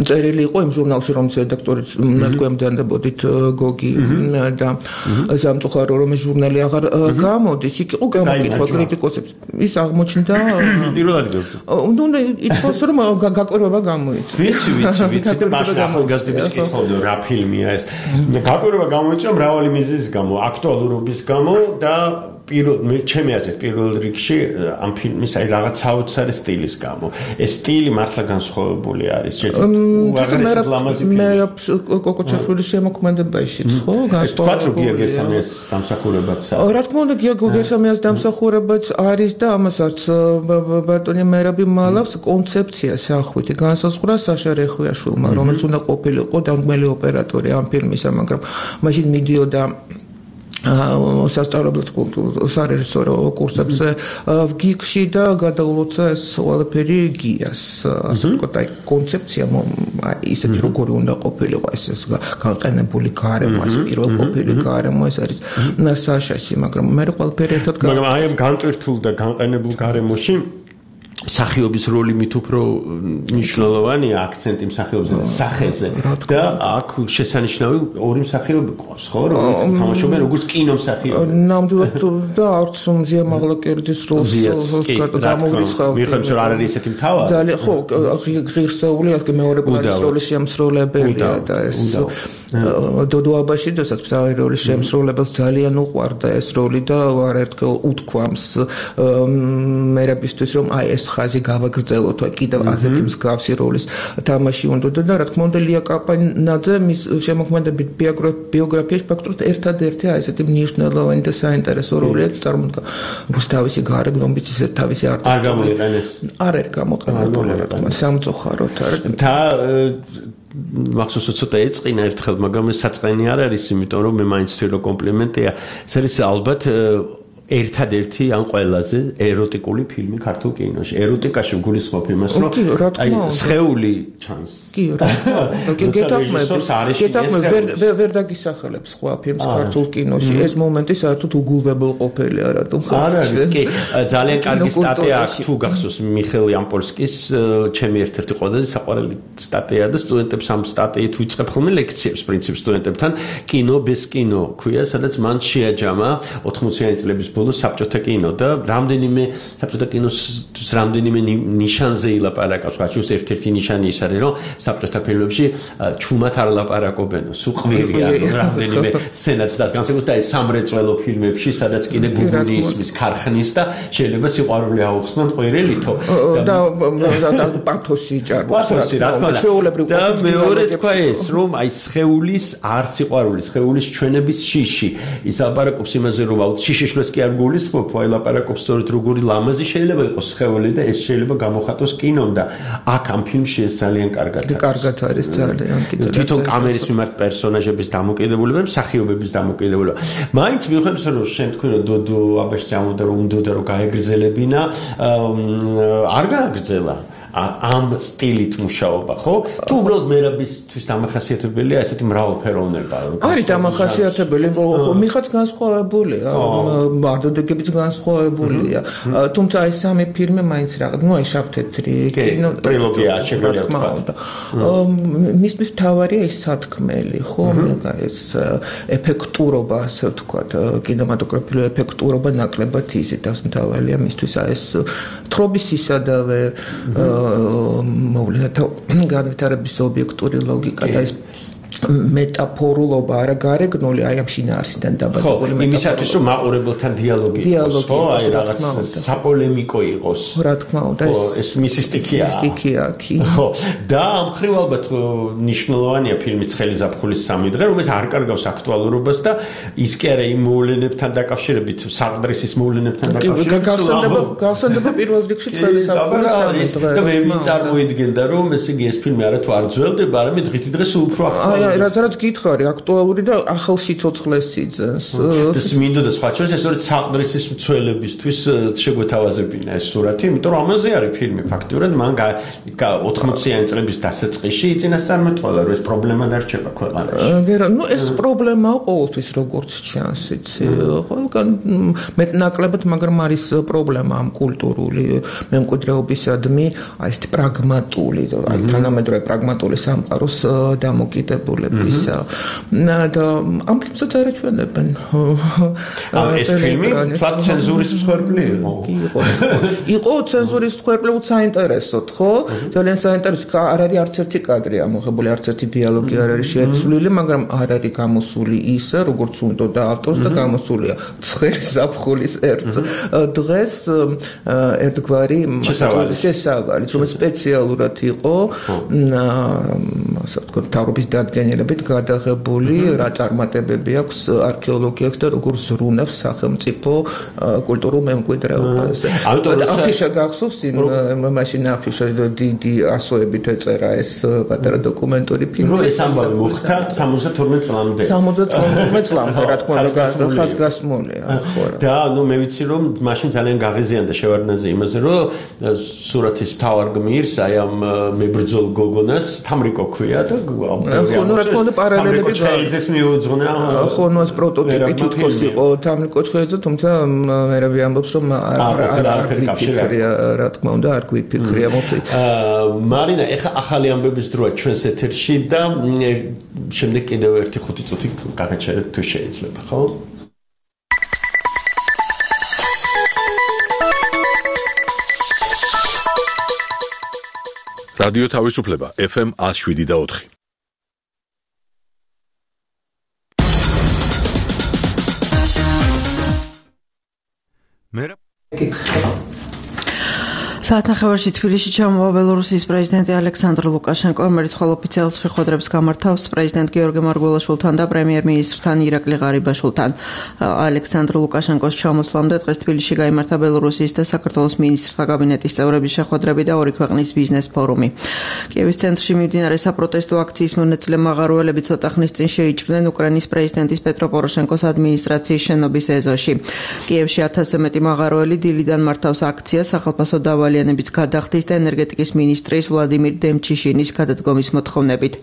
Speaker 8: წერილი იყო იმ ჟურნალში, რომლის რედაქტორიც მეთქვემდანებოდით გოგი და სამწუხარო რომ ეს ჟურნალი აღარ გამოდის, იქ იყო გამოკითხვა კრიტიკოსებს. ის აღმოჩნდა
Speaker 4: პირველ ადგილზე.
Speaker 8: ნუ ითქვას რომ გაკვირვება გამოიწვია.
Speaker 4: ვიცი და მაშინ ახალგაზრდების კითხავდნენ რა ფილმია ეს. გაკვირვება გამოიწვია მრავალი მიზეზის გამო, აქტუალურობის გამო და ჩემი აზრით პირველ რიგში ამ ფილმის აი რაღაც საოცარი სტილის გამო. ეს სტილი მართლა განსხვავებული არის.
Speaker 8: მე კოკოჩაშვილის შემოქმედებაშიც ხო
Speaker 4: განსხვავებული. გია გერსამიას დამსახურებაც.
Speaker 8: რა თქმა უნდა, გია გერსამიას დამსახურებაც არის და ამასაც ბატონი მერაბი მალავს კონცეფცია სახვითი განსაზღვრა საშა რეხვიაშვილმა, რომელიც უნდა ყოფილიყო დამდგმელი ოპერატორი ამ ფილმისა, მაგრამ მაშინ მიდიოდა სასწავლებლად სარეჟისორო კურსებზე ვგიგში და გადაულოცა ეს ყველაფერი გიას. ასე ვთქვათ, აი კონცეფცია ისეთი როგორი უნდა ყოფილიყო ეს განყენებული გარემო, ეს პირველ ყოფილი გარემო ეს არის საშაში, მაგრამ მე ყველაფერი ერთად
Speaker 4: მაგრამ აი ამ განტვირთულ და განყენებულ გარემოში სახიობის როლი მით უფრო მნიშვნელოვანია, აქცენტი მსახიობზე და სახეზე და აქ შესანიშნავი ორი მსახიობი ყავს, ხო, რომელიც თამაშობენ როგორც კინომსახიობი.
Speaker 8: ნამდვილად და არც მზია მაღლაკერძის როლს გამოვრიცხავ.
Speaker 4: მიხემს რომ არ არის ესეთი მთავარი.
Speaker 8: ძალიან ხო, ღირსეული აქ მეორე პლანის როლის შემსრულებელია და ეს დოდო აბაშიძესაც მთავარი როლის შემსრულებელს ძალიან უყვარდა ეს როლი და არაერთხელ უთქვამს მერაბისთვის რომ აი ეს ხაზი გავაგრძელოთ, აი კიდევ ასეთი მსგავსი როლის თამაში უნდა და რა თქმა უნდა ლია კაპანაძე მის შემოქმედებით ბიოგრაფიაში ფაქტობრივად ერთადერთი აი ესეთი მნიშვნელოვანი და საინტერესო როლია წარმოდგა. თავისი გარეგნობით ისე თავისი არტისტული
Speaker 4: არ გამოიყენეს.
Speaker 8: არ არის გამოყენებული რა თქმა უნდა სამწუხაროდ
Speaker 4: და მახსოვს ცოტა ეწყინა ერთხელ, მაგრამ ეს საწყენი არ არის, იმიტომ რომ მე მაინც ვთვლი რომ კომპლიმენტია. ეს არის ალბათ ერთადერთი ან ყველაზე ეროტიკული ფილმი ქართულ კინოში. ეროტიკაში გულისხმობ იმას, რომ აი სხეული ჩანს.
Speaker 8: კი, რა. გეთახმები, ვერ დაგისახელებს სხვა ფილმს ქართულ კინოში. ეს მომენტი საერთოდ უგულვებელყოფილია, რატომ ხო?
Speaker 4: არა, კი, ძალიან კარგი სტატია აქვს თუ გახსოვს მიხეილ იამპოლსკის ჩემი ერთ-ერთი ყველაზე საყვარელი სტატია და სტუდენტებს ამ სტატიით ვიწყებ ხოლმე ლექციებს პრინციპ სტუდენტებთან კინო без კინო ქვია, სადაც მან შეაჯამა 80-იანი წლების ბოლოს საბჭოთა კინო და რამდენიმე საბჭოთა კინოს რამდენიმე ნიშანზე ილაპარაკავს. ხაჩუს ერთ-ერთი ნიშანი ის არის, რომ საბჭოთა ფილმებში ჩუმად არ ლაპარაკობენ, სულ ყვირია, რამდენიმე სცენაც და განსაკუთრებით აი სამრეწველო ფილმებში, სადაც კიდე გუგური ისმის ქარხნის და შეიძლება სიყვარული აუხსნან ყვირელითო
Speaker 8: და პათოსი ჭარბობს.
Speaker 4: პათოსი რა თქმა უნდა. და მეორე თქვა ეს, რომ აი სხეულის არ სიყვარული, სხეულის ჩვენების შიში. ის ლაპარაკობს იმაზე, რომ აუც შიშიშლეს კი არ გულისხმობ, აი ლაპარაკობს სწორედ როგორი ლამაზი შეიძლება იყოს სხეული და ეს შეიძლება გამოხატოს კინომ და აქ ამ ფილმში ეს ძალიან კარგად
Speaker 8: არის ძალიან კიდევ
Speaker 4: თვითონ კამერის მიმართ პერსონაჟების დამოკიდებულება, მსახიობების დამოკიდებულება. მაინც მიუხედავად რომ შენ თქვი რომ დოდო აბაშძე ამოდა რომ უნდა რომ გაეგრძელებინა, არ გააგრძელა ამ სტილით მუშაობა, ხო? თუ უბრალოდ მერაბისთვის დამახასიათებელია ესეთი მრავალფეროვნება.
Speaker 8: არის დამახასიათებელი, რომ მიხაც განსხვავებულია, მარტოდებიც განსხვავებულია. თუმცა ეს სამი ფილმი მაინც რაღაც, ну, აი შავ-თეთრი
Speaker 4: კინო ტრილოგია შეგვიძლია
Speaker 8: თქვა. მისთვის მთავარია ეს სათქმელი, ხო? ეს ეფექტურობა, ასე ვთქვათ, კინემატოგრაფიული ეფექტურობა ნაკლებად იზიდავს მთავარია მისთვის ეს თხრობის ისადავე მოვლენათა განვითარების ობიექტური ლოგიკა და ეს მეტაფორულობა არა გარეგნული, აი ამ შინაარსიდან დაბადებული
Speaker 4: მეტაფორული. ხო, იმისათვის რომ მაყურებელთან დიალოგი იყოს, ხო, აი რაღაც საპოლემიკო იყოს.
Speaker 8: რა თქმა უნდა,
Speaker 4: ეს მისი სტიქია.
Speaker 8: სტიქია, კი.
Speaker 4: ხო, და ამ მხრივ ალბათ ნიშნულოვანია ფილმი ცხელი ზაფხულის 3 დღე, რომელიც არ კარგავს აქტუალურობას და ის კი არა იმ მოვლენებთან დაკავშირებით, საყდრისის მოვლენებთან
Speaker 8: დაკავშირებით. გავსანდება პირველ რიგში ცხელი ზაფხულის 3 დღე.
Speaker 4: და მე წარმოიდგენდა რომ ესე იგი ეს ფილმი არა თუ არ ძველდება, არამედ დღითი დღე სულ უფრო აქტუალურია.
Speaker 8: რაც გითხარი, აქტუალური და ახალ სიცოცხლეს იძენს.
Speaker 4: და მინდოდა სხვა შორის ეს ორი საყდრისის მცველებისთვის შეგვეთავაზებინა ეს სურათი, იმიტომ რომ ამაზე არის ფილმი ფაქტიურად, მან 80-იანი წლების დასაწყისში იწინასწარმეტყველა, რომ ეს პრობლემა დარჩება ქვეყანაში.
Speaker 8: ну ეს პრობლემაა ყოველთვის როგორც ჩანს, იცი, ყველგან მეტნაკლებად, მაგრამ არის პრობლემა ამ კულტურული მემკვიდრეობისადმი, აი ეს პრაგმატული, აი თანამედროვე პრაგმატული სამყაროს დამოკიდებული და ამ ფილმსაც არაჩვენებენ.
Speaker 4: ეს ფილმი ფლატ ცენზურის მსხვერპლი
Speaker 8: იყო ცენზურის მსხვერპლი, საინტერესოდ, ხო? ძალიან საინტერესო, არ არის არც ერთი კადრი ამოღებული, არც ერთი დიალოგი არ არის შეცვლილი, მაგრამ არ არის გამოსული ისე, როგორც უნდა ავტორს და გამოსულია ცხელი ზაფხულის ერთ დღეს ერთგვარი შესავალი, რომელიც სპეციალურად იყო ასე ვთქვათ, თავრობის დადგენილებით გადაღებული, რა წარმატებები აქვს არქეოლოგიას და როგორ ზრუნავს სახელმწიფო კულტურულ მემკვიდრეობას. აფიშა გახსოვს მაშინ აფიშა დიდი ასოებით ეწერა ეს პატარა დოკუმენტური ფილმი.
Speaker 4: ეს ამბავი მოხდა 72 წლამდე.
Speaker 8: 72 წლამდე, რა თქმა უნდა, ხაზგასმულია.
Speaker 4: და ნუ მე ვიცი რომ მაშინ ძალიან გაღიზიანდა შევარდნაძე იმაზე, რომ სურათის მთავარ გმირს აი ამ მებრძოლ გოგონას თამრიკო ქვია და
Speaker 8: ხო, ну, რა თქმა უნდა, პარალელები
Speaker 4: გაიძეს მიუძღვნა.
Speaker 8: ხო, ну, ეს პროტოტიპი თითქოს იყო თამრიკო ჩხეიძე, თუმცა მერაბი ამბობს, რომ არ გვიფიქრია, რა თქმა უნდა, არ გვიფიქრია მოთი.
Speaker 4: მარინა, ეხა ახალი ამბების დროა ჩვენს ეთერში და შემდეგ კიდევ ერთი 5 წუთი გაგაჩერებთ თუ შეიძლება, ხო?
Speaker 1: რადიო თავისუფლება FM 107.4.
Speaker 9: საათნახევარში თბილისში ჩამოვა ბელორუსიის პრეზიდენტი ალექსანდრ ლუკაშენკო, რომელიც ხოლ ოფიციალურ შეხვედრებს გამართავს პრეზიდენტ გიორგი მარგველაშვილთან და პრემიერ-მინისტრთან ირაკლი ღარიბაშვილთან. ალექსანდრ ლუკაშენკოს ჩამოსვლამდე დღეს თბილისში გაიმართა ბელორუსიის და საქართველოს მინისტრთა კაბინეტის წევრების შეხვედრები და ორი ქვეყნის ბიზნეს ფორუმი. კიევის ცენტრში მიმდინარე საპროტესტო აქციის მონაწილე მაღაროელები ცოტა ხნის წინ შეიჭრნენ უკრაინის პრეზიდენტის პეტრო პოროშენკოს ადმინისტრაციის შენობის ეზოში. კიევში 1000-ზე მეტი მაღაროელი დილიდან მართავს აქციას სახელმწიფო დავალიანების გადახდის და ენერგეტიკის მინისტრის ვლადიმირ დემჩიშინის გადადგომის მოთხოვნებით.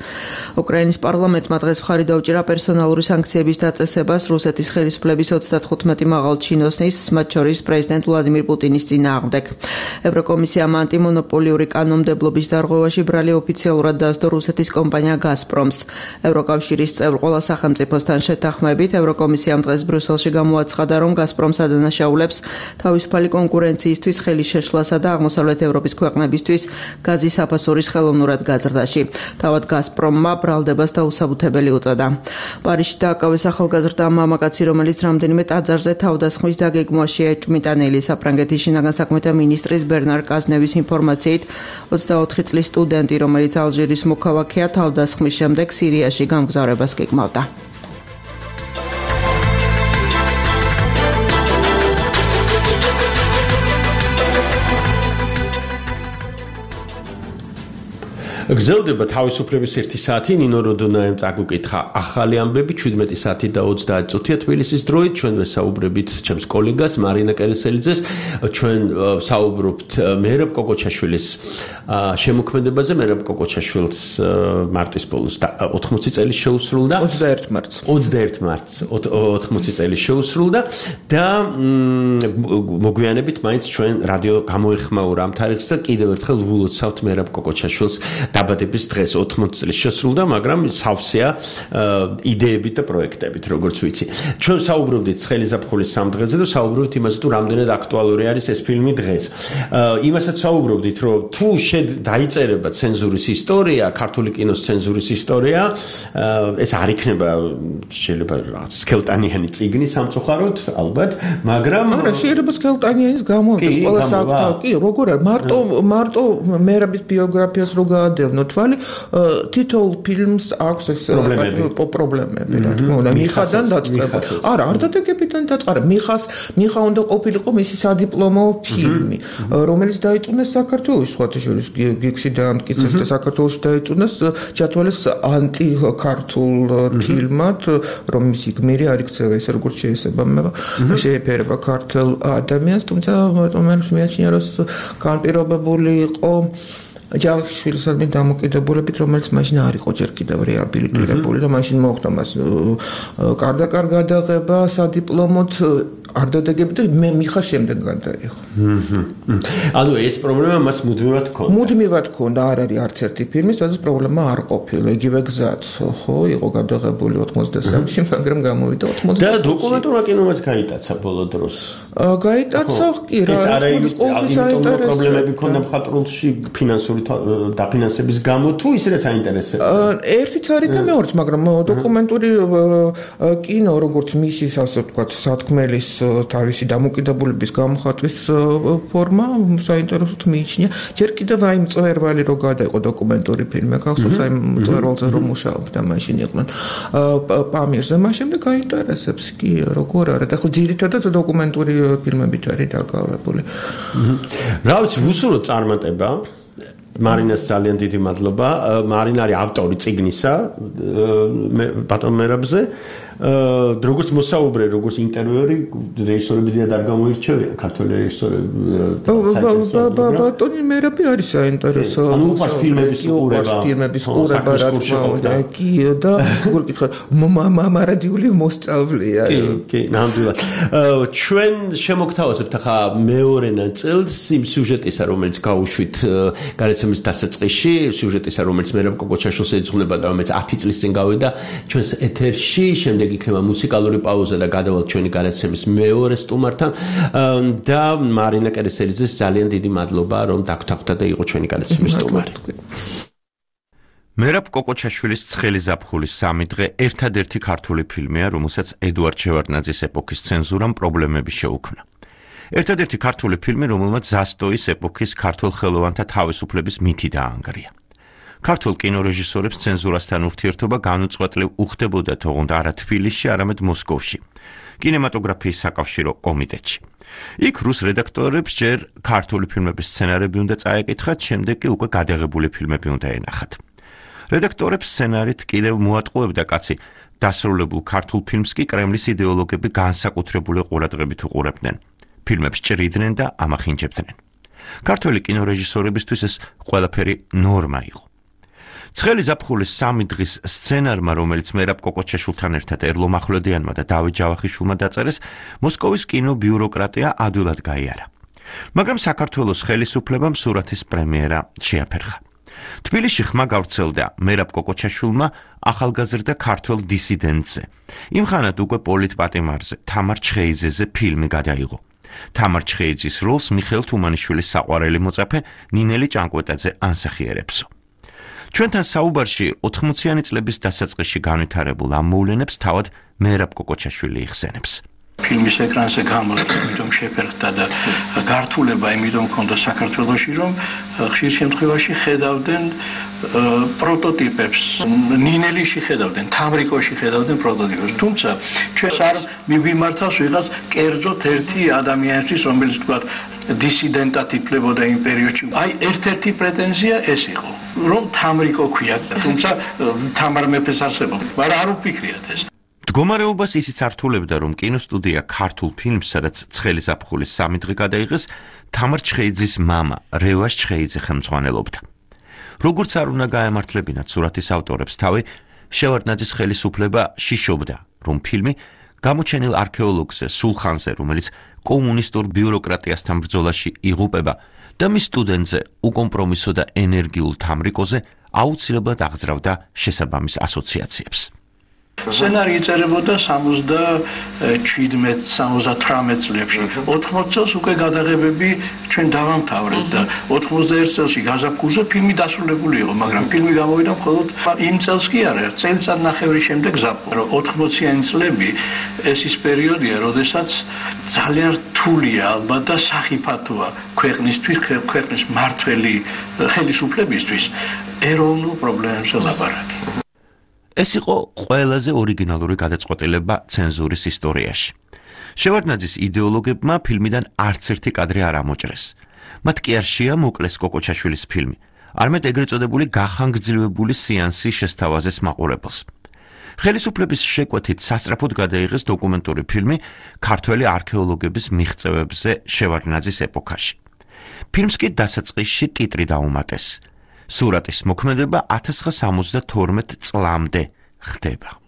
Speaker 9: უკრაინის პარლამენტმა დღეს მხარი დაუჭირა პერსონალური სანქციების დაწესებას რუსეთის ხელისუფლების 35 მაღალ ჩინოსნის, მათ შორის პრეზიდენტ ვლადიმირ პუტინის წინააღმდეგ. ევროკომისიამ ანტიმონოპოლიური კანონმდებლობის დარღვევაში ბრალი ოფიციალურად დაასდო რუსეთის კომპანია გაზპრომს. ევროკავშირის წევრ ყველა სახელმწიფოსთან შეთანხმებით ევროკომისიამ დღეს ბრიუსელში გამოაცხადა, რომ გაზპრომს ადანაშაულებს თავისუფალი კონკურენციისთვის ხელის შეშლასა და აღმოსავლეთ ევროპის ქვეყნებისთვის გაზის საფასურის ხელოვნურად გაზრდაში. თავად გაზპრომმა ბრალდებას დაუსაბუთებელი უწოდა. პარიზში დააკავეს ახალგაზრდა მამაკაცი, რომელიც რამდენიმე ტაძარზე თავდასხმის დაგეგმვაში ეჭვმიტანილი. საფრანგეთის შინაგან საქმეთა მინისტრის ბერნარ კაზნევის ინფორმაციით 24 წლის სტუდენტი, რომელიც ალჟირის მოქალაქეა, თავდასხმის შემდეგ სირიაში გამგზავრებას გეგმავდა.
Speaker 4: გრძელდება თავისუფლების 1 საათი. ნინო როდონაემ წაგუკითხა ახალი ამბები 17 საათი და 30 წუთია თბილისის დროით. ჩვენ ვესაუბრებით ჩემს კოლეგას მარინა კერესელიძეს. ჩვენ საუბრობთ მერაბ კოკოჩაშვილის შემოქმედებაზე. მერაბ კოკოჩაშვილს მარტის ბოლოს 80 წელი შეუსრულდა.
Speaker 8: 21 მარტს
Speaker 4: 80 წელი შეუსრულდა და მოგვიანებით მაინც ჩვენ რადიო გამოეხმაურა ამ თარიღს და კიდევ ერთხელ ვილოცავთ მერაბ კოკოჩაშვილს დაბადების დღეს 80 წლის შესრულდა, მაგრამ სავსეა იდეებით და პროექტებით, როგორც ვიცი. ჩვენ საუბრობდით ცხელი ზაფხულის სამდღეზე და საუბრობდით იმაზე, თუ რამდენად აქტუალური არის ეს ფილმი დღეს. იმასაც საუბრობდით, რომ თუ დაიწერება ცენზურის ისტორია, ქართული კინოს ცენზურის ისტორია, ეს არ იქნება შეიძლება რაღაც სქელტანიანი წიგნი სამწუხაროდ, ალბათ, მაგრამ
Speaker 8: შეიძლება სქელტანიანის გამოიყენოს ყველა საკითხი. კი, როგორ არის? მარტო მერაბის ბიოგრაფიას რო გადავდნო თვალი, თითოეულ ფილმს აქვს ეს პრობლემები, რა თქმა უნდა, მიხადან დაწყება. არა, არ დადებიდან დაწყარა. მიხა უნდა ყოფილიყო მისი სადიპლომო ფილმი, რომელიც დაიწუნეს საქართველოს, სხვათა შორის გიგში დაამტკიცეს და საქართველოში დაიწუნეს, ჩათვალეს ანტიქართულ ფილმად, რომ მისი გმირი არ იქცევა ესე როგორც შეეფერება ქართულ ადამიანს, თუმცა მე მეაჩნია, რომ განპირობებული იყო ჯავახიშვილის დამოკიდებულებით, რომელიც მაშინ არ იყო ჯერ კიდევ რეაბილიტირებული და მაშინ მოხდა მას კარდაკარ გადაღება სადიპლომოდ არ დადეგებდა და მე მიხა შემდეგ გადაიხო.
Speaker 4: ანუ ეს პრობლემა მას
Speaker 8: მუდმივად ჰქონდა, არ არის არც ერთი ფილმი, სადაც პრობლემა არ ყოფილა. იგივე გზაც, ხო, იყო გადაღებული 83-ში, მაგრამ გამოვიდა 80-ში.
Speaker 4: და დოკუმენტურა კინომაც გაიტაცა ბოლო დროს.
Speaker 8: გაიტაცა, კი, რა,
Speaker 4: ის პრობლემები ჰქონდა მხატვრულში ფინანსური დაფინანსების გამო, თუ ის რაც აინტერესებს.
Speaker 8: ერთიც არის და მეორეც, მაგრამ დოკუმენტური კინო, როგორც მისის, ასე ვთქვათ, სათქმელის თავისი დამოკიდებულების გამოხატვის ფორმა საინტერესოდ მიიჩნია. ჯერ კიდევ აი მწვერვალი რო გადაიყო დოკუმენტური ფილმი, ახალსოს აი მწვერვალზე რომ მუშაობდა მაშინ იყვნენ პამირზე, მას შემდეგ გაინტერესებს კი როგორ არის. ახლა ძირითადად დოკუმენტური ფილმებით არის დაკავებული.
Speaker 4: რა ვიცი, ვუსურვოთ წარმატება. მარინას ძალიან დიდი მადლობა. მარინა არის ავტორი წიგნისა ბატონ მერაბზე. როგორც მოსაუბრე, როგორც ინტერვიუერი, რეჟისორები დიდად არ გამოირჩევიან, ქართული რეჟისორები.
Speaker 8: ბატონი მერაბი არის საინტერესო.
Speaker 4: ანუ უყურს ფილმების
Speaker 8: ყურება, რა თქმა უნდა, კი და როგორ გითხრათ, მარადიული მოსწავლეა.
Speaker 4: კი, ნამდვილად. ჩვენ შემოგთავაზებთ ახლა მეორე ნაწილს იმ სიუჟეტისა, რომელიც გავუშვით გარეთ დასაწყისში, სიუჟეტისა, რომელიც მერაბ კოკოჩაშვილს ეძღვნება და რომელიც 10 წლის წინ გავიდა ჩვენს ეთერში, შემდეგ იქნება მუსიკალური პაუზა და გადავალთ ჩვენი გადაცემის მეორე სტუმართან და მარინა კერესელიძეს ძალიან დიდი მადლობა, რომ დაგთანხმდა და იყო ჩვენი გადაცემის სტუმარი.
Speaker 5: მერაბ კოკოჩაშვილის ცხელი ზაფხულის 3 დღე ერთადერთი ქართული ფილმია, რომელსაც ედუარდ შევარდნაძის ეპოქის ცენზურამ პრობლემები შეუქმნა. ერთადერთი ქართული ფილმი, რომელმაც ზასტოის ეპოქის ქართულ ხელოვანთა თავისუფლების მითი დაანგრია. ქართულ კინორეჟისორებს ცენზურასთან ურთიერთობა განუწყვეტლივ უხდებოდა თողონდ არა თბილისში, არამედ მოსკოვში, კინემატოგრაფიის საკავშირო კომიტეტში. იქ რუს რედაქტორებს ჯერ ქართული ფილმების სცენარები უნდა წაეკითხათ, შემდეგ კი უკვე გადაღებული ფილმები უნდა ენახათ. რედაქტორებს სცენარით კიდევ მოატყუებდა კაცი, დასრულებულ ქართულ ფილმს კი კრემლის იდეოლოგები განსაკუთრებული ყურადღებით უყურებდნენ. ფილმებს ჭრიდნენ და ამახინჯებდნენ. ქართული კინორეჟისორებისთვის ეს ყველაფერი ნორმა იყო. ცხელი ზაფხულის 3 დღის სცენარმა, რომელიც მერაბ კოკოჩაშვილთან ერთად ერლო მახვლედიანმა და დავით ჯავახიშვილმა დაწერეს, მოსკოვის კინობიუროკრატია ადვილად გაიარა. მაგრამ საქართველოს ხელისუფლებამ სურათის პრემიერა შეაფერხა. თბილისში ხმა გავრცელდა მერაბ კოკოჩაშვილმა ახალგაზრდა ქართველ დისიდენტზე. იმ ხანად უკვე პოლიტპატიმარზე, თამარ ჩხეიძეზე ფილმი გადაიღო. თამარ ჩხეიძის როლს მიხეილ თუმანიშვილის საყვარელი მოწაფე ნინელი ჭანკვეტაძე ანსახიერებსო. ჩვენთან საუბარში 80-იანი წლების დასაწყისში განვითარებულ ამ მოვლენებს თავად მერაბ კოკოჩაშვილი იხსენებს.
Speaker 6: ფილმის ეკრანზე გამოჩნდა, იმიტომ შეფერხდა და გართულება იმიტომ ჰქონდა საქართველოში, რომ ხშირ შემთხვევაში ხედავდნენ პროტოტიპებს, ნინელიში ხედავდნენ, თამრიკოში ხედავდნენ პროტოტიპებს. თუმცა ჩვენს არ მივიმართავს ვიღაც კერძოდ ერთი ადამიანისთვის, რომელიც თქვა დისიდენტად იფლებოდა იმ პერიოდში. აი, ერთ-ერთი პრეტენზია ეს იყო, რომ თამრიკო ქვია, თუმცა თამარ მეფეს არსებობდა, მაგრამ არ უფიქრიათ ეს.
Speaker 5: მდგომარეობას ისიც ართულებდა, რომ კინოსტუდია ქართულ ფილმს, სადაც ცხელი ზაფხულის 3 დღე გადაიღეს, თამარ ჩხეიძის მამა რევას ჩხეიძე ხელმძღვანელობდა. როგორც არ უნდა გაემართლებინათ სურათის ავტორებს თავი, შევარდნაძის ხელისუფლება შიშობდა, რომ ფილმი გამოჩენილ არქეოლოგზე სულხანზე, რომელიც კომუნისტურ ბიუროკრატიასთან ბრძოლაში იღუპება და მის სტუდენტზე უკომპრომისო და ენერგიულ თამრიკოზე აუცილებლად აღძრავდა შესაბამის ასოციაციებს.
Speaker 6: სცენარი იწერებოდა 77-78 წლებში. 80 წელს უკვე გადაღებები ჩვენ დავამთავრეთ და 91 წელში გაზაფხულზე ფილმი დასრულებული იყო, მაგრამ ფილმი გამოვიდა მხოლოდ იმ წელს კი არა, წელიწადნახევრის შემდეგ ზაფხულში. 80-იანი წლები ეს ის პერიოდია, როდესაც ძალიან რთულია ალბათ და სახიფათოა ქვეყნისთვის, ქვეყნის მართველი ხელისუფლებისთვის ეროვნულ პრობლემებზე ლაპარაკი.
Speaker 5: ეს იყო ყველაზე ორიგინალური გადაწყვეტილება ცენზურის ისტორიაში. შევარდნაძის იდეოლოგებმა ფილმიდან არც ერთი კადრი არ ამოჭრეს. მათ კი არ შეამოკლეს კოკოჩაშვილის ფილმი, არამედ ეგრეთ წოდებული გახანგრძლივებული სეანსი შესთავაზეს მაყურებელს. ხელისუფლების შეკვეთით სასწრაფოდ გადაიღეს დოკუმენტური ფილმი ქართველი არქეოლოგების მიღწევებზე შევარდნაძის ეპოქაში. ფილმს კი დასაწყისში ტიტრი დაუმატეს. სურათის მოქმედება 1972 წლამდე ხდება.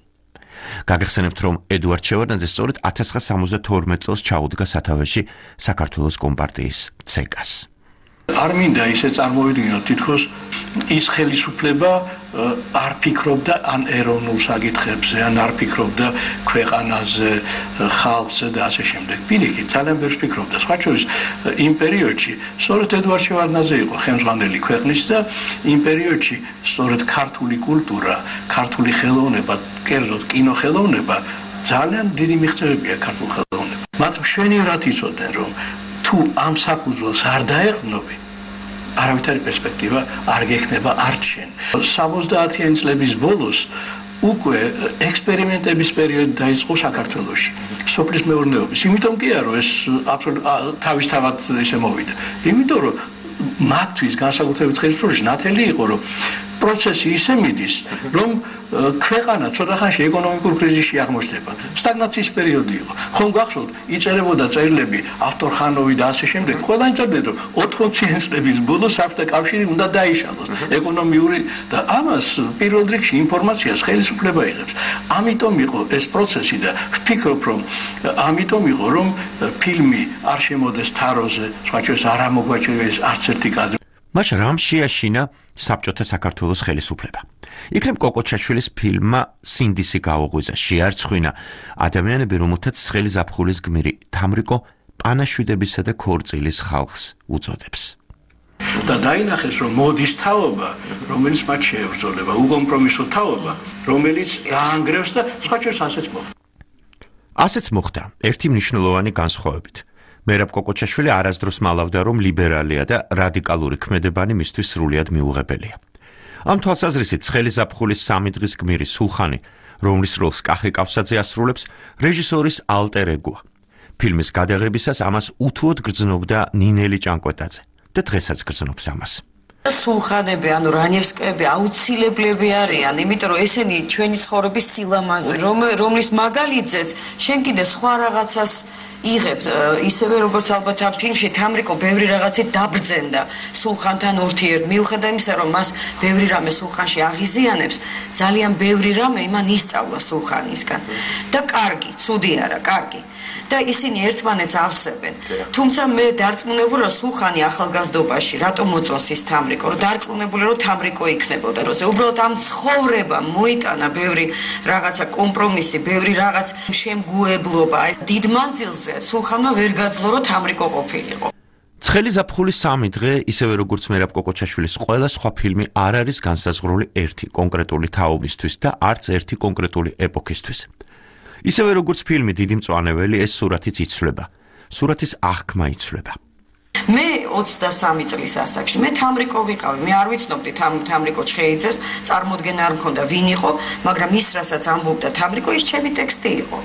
Speaker 5: გაგახსენებთ, რომ ედუარდ შევარდნაძე სწორედ 1972 წელს ჩაუდგა სათავეში საქართველოს კომპარტიის ცეკას.
Speaker 6: არ მინდა ისე წარმოვიდგინოთ, თითქოს ის ხელისუფლება არ ფიქრობდა ან ეროვნულ საკითხებზე, ან არ ფიქრობდა ქვეყანაზე, ხალხზე და ასე შემდეგ. პირიქით, ძალიან ბევრს ფიქრობდა. სხვა შორის, იმ პერიოდში სწორედ ედუარდ შევარდნაძე იყო ხელმძღვანელი ქვეყნის და იმ პერიოდში სწორედ ქართული კულტურა, ქართული ხელოვნება, კერძოდ კინოხელოვნება ძალიან დიდი მიღწევებია ქართულ ხელოვნებას. მათ მშვენივრად იცოდნენ, რომ თუ ამ საფუძველს არ დაეყრდნობი, არავითარი პერსპექტივა არ გექნება არჩენ. 70-იანი წლების ბოლოს უკვე ექსპერიმენტების პერიოდი დაიწყო საქართველოში, სოფლის მეურნეობის. იმიტომ კი არა, რომ ეს თავისთავად ესე მოვიდა. იმიტომ რომ მათთვის განსაკუთრებით ხელისუფლებაში ნათელი იყო, რომ პროცესი ისე მიდის, რომ ქვეყანა ცოტა ხანში ეკონომიკურ კრიზისში აღმოჩნდება. სტაგნაციის პერიოდი იყო. ხომ გახსოვთ, იწერებოდა წერილები ავტორხანოვი და ასე შემდეგ. ყველანი წერდნენ, რომ 80-იანი წლების ბოლოს საბჭოთა კავშირი უნდა დაიშალოს. ეკონომიური და ამას პირველ რიგში ინფორმაციას ხელისუფლება იღებს. ამიტომ იყო ეს პროცესი და ვფიქრობ, რომ ამიტომ იყო, რომ ფილმი არ შემოდეს თაროზე, სხვა შორის არ ამოგვაჩერეს არც ერთი კადრი.
Speaker 5: მას რამ შეაშინა საბჭოთა საქართველოს ხელისუფლება. იქნებ კოკოჩაშვილის ფილმმა სინდისი გაუღვიძა, შეარცხვინა ადამიანები, რომელთაც ცხელი ზაფხულის გმირი თამრიკო პანაშვიდებისა და ქორწილის ხალხს უწოდებს.
Speaker 6: და დაინახეს, რომ მოდის თაობა, რომელიც მათ შეებრძოლება, უკომპრომისო თაობა, რომელიც გაანგრევს და სხვა შორის ასეც მოხდა.
Speaker 5: ასეც მოხდა ერთი მნიშვნელოვანი განსხვავებით. მერაბ კოკოჩაშვილი არასდროს მალავდა, რომ ლიბერალია და რადიკალური ქმედებანი მისთვის სრულიად მიუღებელია. ამ თვალსაზრისით ცხელი ზაფხულის 3 დღის გმირი სულხანი, რომლის როლს კახი კავსაძე ასრულებს, რეჟისორის ალტერ ეგოა. ფილმის გადაღებისას ამას უთუოდ გრძნობდა ნინელი ჭანკვეტაძე და დღესაც გრძნობს ამას.
Speaker 10: სულხანები, ანუ რანევსკები აუცილებლები არიან, იმიტომ რომ ესენი ჩვენი ცხოვრების სილამაზე, რომლის მაგალითზეც შენ კიდე სხვა რაღაცას იღებთ, ისევე როგორც ალბათ ამ ფილმში თამრიკო ბევრი რაღაცით დაბრძენდა სულხანთან ურთიერთ, მიუხედავად იმისა, რომ მას ბევრი რამე სულხანში აღიზიანებს, ძალიან ბევრი რამე იმან ისწავლა სულხანისგან. და კარგი, ცუდი არა, კარგი. და ისინი ერთმანეთს ავსებენ. თუმცა მე დარწმუნებული რომ სულხანი ახალგაზრდობაში რატომ მოწონს ის თამრიკო, რომ დარწმუნებული რომ თამრიკო იქნებოდა, რომ უბრალოდ ამ ცხოვრებამ მოიტანა ბევრი რაღაცა კომპრომისი, ბევრი რაღაც შემგუებლობა. დიდ მანძილზე სულხანმა ვერ გაძლო რომ თამრიკო ყოფილიყო.
Speaker 5: ცხელი ზაფხულის 3 დღე, ისევე როგორც მერაბ კოკოჩაშვილის ყველა სხვა ფილმი არ არის განსაზღვრული ერთი კონკრეტული თაობისთვის და არც ერთი კონკრეტული ეპოქისთვის. ისევე როგორც ფილმი დიდი მწვანეველი, ეს სურათიც იცვლება. სურათის აღქმა იცვლება.
Speaker 10: მე 23 წლის ასაკში მე თამრიკო ვიყავი. მე არ ვიცნობდი თამრიკო ჩხეიძეს, წარმოდგენა არ მქონდა ვინ იყო, მაგრამ ის რასაც ამბობდა თამრიკო, ის ჩემი ტექსტი იყო.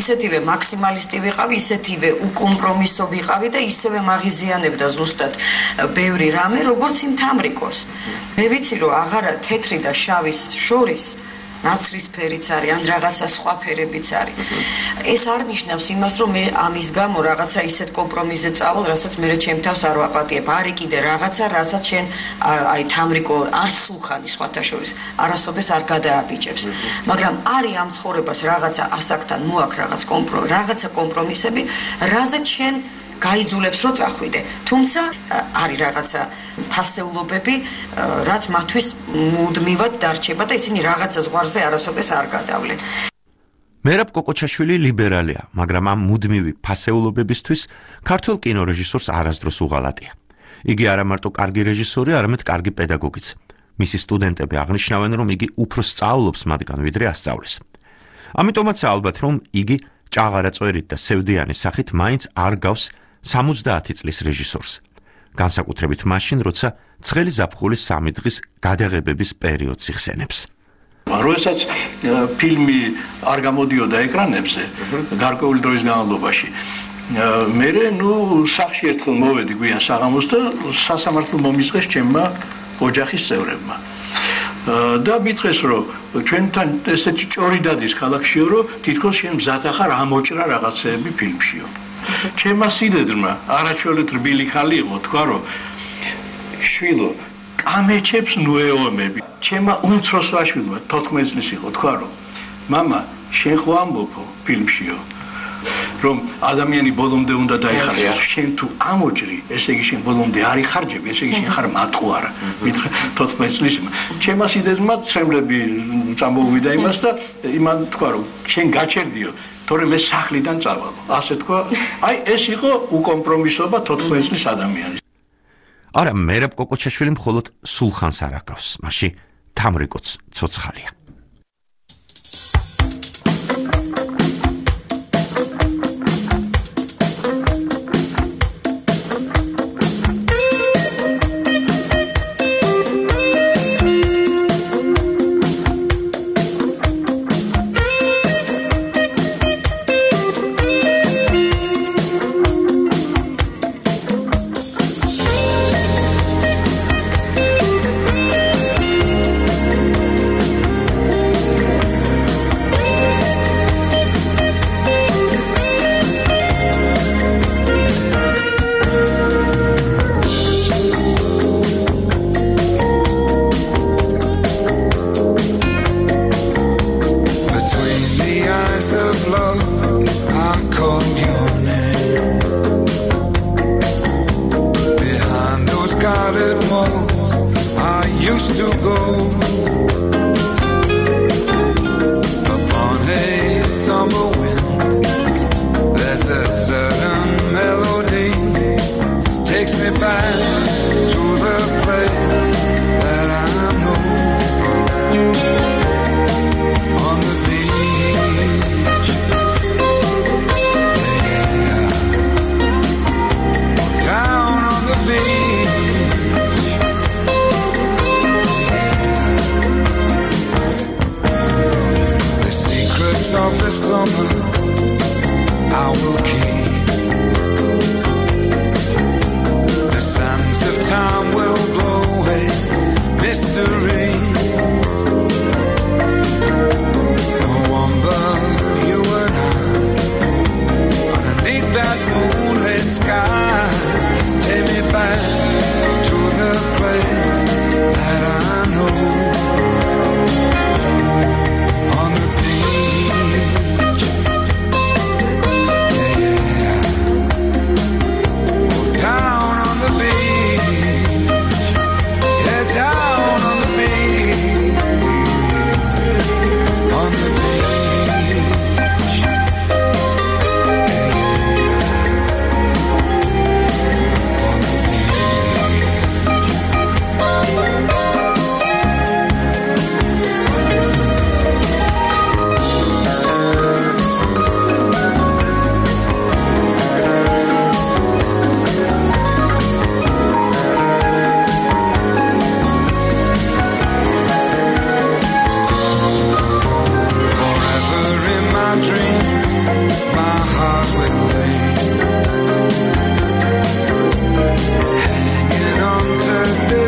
Speaker 10: ისეთივე მაქსიმალისტი ვიყავი, ისეთივე უკომპრომისო ვიყავი და ისევე მაღიზიანებდა ზუსტად ბევრი რამე, როგორც იმ თამრიკოს. მე ვიცი რომ აღარა თეთრი და შავის შორის ნაცრის ფერიც არის, ან რაღაცა სხვა ფერებიც არის. ეს არ ნიშნავს იმას, რომ მე ამის გამო რაღაცა ისეთ კომპრომისზე წავალ, რასაც მე ჩემ თავს არ ვაპატიებ. არის კიდე რაღაცა, რასაც შენ აი თამრიკო არც სულხანი სხვათა შორის არასოდეს არ გადააბიჭებს. მაგრამ არის ამ ცხოვრებას რაღაცა ასაკთან მოაქვს რაღაცა კომპრომისები, რაზეც შენ გაიძულებს რომ წახვიდე. თუმცა არის რაღაცა ფასეულობები, რაც მათთვის მუდმივად დარჩება და ისინი რაღაცა ზღვარზე არასოდეს არ გადავლენ.
Speaker 5: მერაბ კოკოჩაშვილი ლიბერალია, მაგრამ ამ მუდმივი ფასეულობებისთვის ქართველ კინორეჟისორს არასდროს უღალატია. იგი არა მარტო კარგი რეჟისორი, არამედ კარგი პედაგოგიც. მისი სტუდენტები აღნიშნავენ, რომ იგი უფრო სწავლობს მათგან, ვიდრე ასწავლის. ამიტომაც ალბათ, რომ იგი ჭაღარა წვერით და სევდიანის სახით მაინც არ გავს 70 წლის რეჟისორს. განსაკუთრებით მაშინ, როცა ცხელი ზაფხულის 3 დღის გადაღებების პერიოდს იხსენებს.
Speaker 6: როდესაც ფილმი არ გამოდიოდა ეკრანებზე, გარკვეული დროის განმავლობაში, მე სახში ერთხელ მოვედი გვიან საღამოს და სასამართლო მომისყეს ჩემმა ოჯახის წევრებმა. და მითხრეს, რომ ჩვენთან ესეთი ჭორი დადის ქალაქშიო, რომ თითქოს შენ მზად ახარ ამოჭრა რაღაცეები ფილმშიო. ჩემმა სიდედრმა არაჩვეულით რბილი ხალი იყო, თქვა, რომ შვილო, კამეჩებს ნუეომები. ჩემმა უმცროს ვაშვილმა 14 წლის იყო, თქვა, რომ მამა, შენ ხო ამბობო ფილმშიო, რომ ადამიანი ბოლომდე უნდა დაიხარჯოს. შენ თუ ამოჭრი, ესე იგი შენ ბოლომდე არ იხარჯები, ესე იგი შენ ხარ მატყუარა. მითხრა 14 წლის. ჩემმა სიდედრმა ცრემლები წამოვიდა იმას და იმან თქვა, რომ შენ გაჩერდიო, თორემ ეს სახლიდან წავალო. ასე თქვა, აი ეს იყო უკომპრომისობა 14 წლის ადამიანის.
Speaker 5: არა, მერაბ კოკოჩაშვილი მხოლოდ სულხანს არ აკავს, მაშინ თამრიკოც ცოცხალია.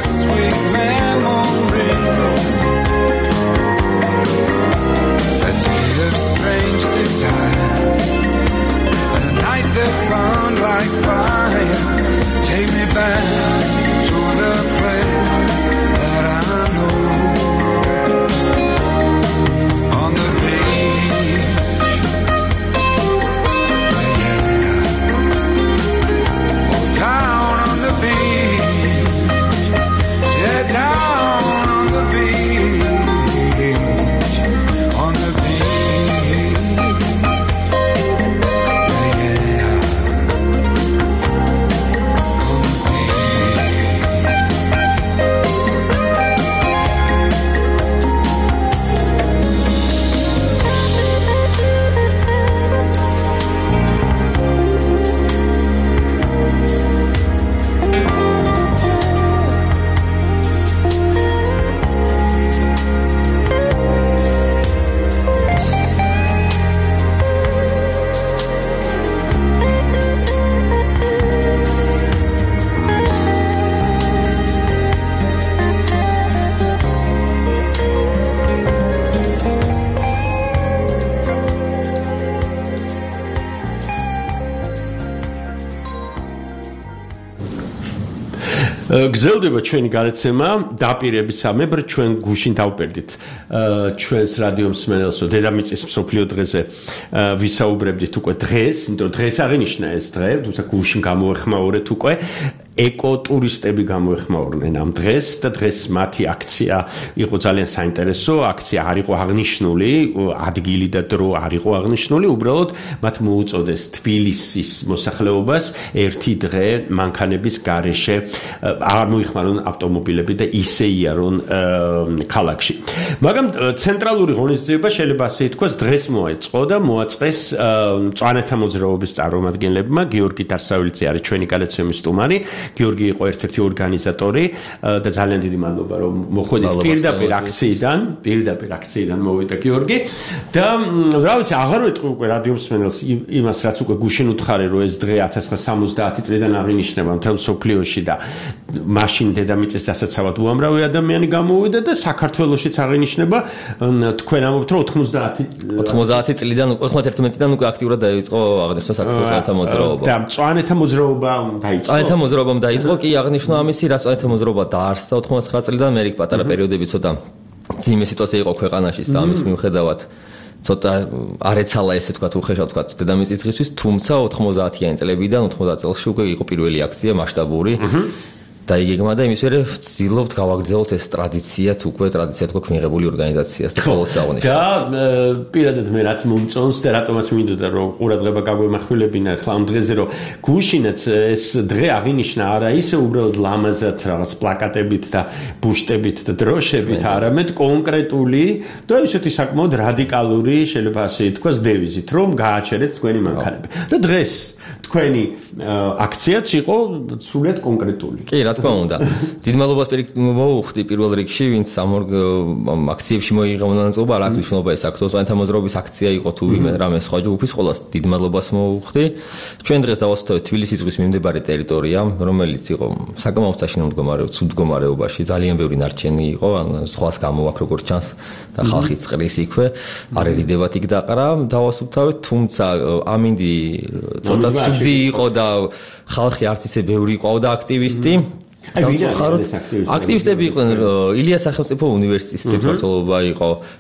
Speaker 11: sweet memory. A day of strange desire, and a night that burned like fire. Take me back to the place that I know. On the beach, yeah. Oh, down on the beach, yeah, down on the beach, on the beach, yeah, yeah. On the
Speaker 4: გრძელდება ჩვენი გადაცემა დაპირებისამებრ ჩვენ გუშინ დავპერდით ჩვენს რადიო მსმენელსო დედამიწის მსოფლიო დღეზე ვისაუბრებდით უკვე დღეს, იმიტომ რომ დღეს აღინიშნა ეს დღე, თუმცა გუშინ გამოეხმაურეთ უკვე ეკოტურისტები გამოეხმაურნენ ამ დღეს და დღეს მათი აქცია იყო ძალიან საინტერესო, აქცია არ იყო აღნიშნული, ადგილი და დრო არ იყო აღნიშნული, უბრალოდ მათ მოუწოდეს თბილისის მოსახლეობას ერთი დღე მანქანების გარეშე არ მოიხმარონ ავტომობილები და ისე იარონ ქალაქში. მაგრამ ცენტრალური ღონისძიება შეიძლება ასე ითქვას დღეს მოეწყო და მოაწყეს მწვანეთა მოძრაობის წარმომადგენლებმა. გიორგი დარსავილიძე არის ჩვენი გადაცემის სტუმარი. გიორგი იყო ერთ-ერთი ორგანიზატორი და ძალიან დიდი მადლობა რომ მოხვედით პირდაპირ აქციიდან მოვიდა გიორგი და რა ვიცი აღარ ვეტყვი უკვე რადიო მსმენელს იმას რაც უკვე გუშინ უთხარი რომ ეს დღე 1970 წლიდან აღინიშნება მთელ მსოფლიოში და მაშინ დედამიწის დასაცავად უამრავი ადამიანი გამოვიდა და საქართველოშიც აღინიშნება თქვენ ამბობთ რომ
Speaker 12: 90 წლიდან 91-დან უკვე აქტიურად დაიწყო აღნიშნა საქართველოს მოძრაობა
Speaker 4: და მწვანეთა მოძრაობამ დაიწყო კი აღნიშნო ამისი რა მწვანეთა მოძრაობა დაარსდა 99 წლიდან მე რიგ პატარა პერიოდები ცოტა ძიმე სიტუაცია იყო ქვეყანაში და ამის მიუხედავად ცოტა არეცალა ესე თქვა უხეშად თქვა დედამიწის დღისთვის თუმცა 90-იანი წლებიდან 90 წელს უკვე იყო პირველი აქცია მასშტაბური და იგეგმა და იმის მერე ვცდილობთ გავაგრძელოთ ეს ტრადიციად უკვე ტრადიციად გვაქვს მიღებული ორგანიზაციას და ყოველთვის აღნიშნავ. და პირადად მე რაც მომწონს და რატომაც მინდოდა რომ ყურადღება გაგვემახვილებინა ხლა ამ დღეზე რომ გუშინაც ეს დღე აღინიშნა არა ისე უბრალოდ ლამაზად რაღაც პლაკატებით და ბუშტებით და დროშებით, არამედ კონკრეტული და ისეთი საკმაოდ რადიკალური შეიძლება ასე ითქვას დევიზით რომ გააჩერეთ თქვენი მანქანები. და დღეს თქვენი აქციაც იყო სრულიად კონკრეტული.
Speaker 12: კი, რა თქმა უნდა. დიდ მადლობას მოვუხდი პირველ რიგში, ვინც ამ აქციებში მოიღო მონაწილეობა, რა მნიშვნელობა ეს აქცია, მწვანეთა მოძრაობის აქცია იყო თუ ვიმე რამე სხვა ჯგუფის, ყოველას დიდ მადლობას მოვუხდი. ჩვენ დღეს დავასრულეთ თბილისის ზღვის მიმდებარე ტერიტორია, რომელიც იყო საკმაოდ საშინაო მდგომარეობაში, ძალიან ბევრი ნარჩენი იყო, სხვას გამოვაქ როგორც ჩანს და ხალხი წყრის იქვე, არ ერიდებათ იქ დაყრა, დავასრულთავეთ, თუმცა ამინდი ცოტა ცუდი იყო და ხალხი არც ისე ბევრი იყო და აქტივისტი. აქტივისტები იყვნენ ილია სახელმწიფო უნივერსიტეტის საქართველობა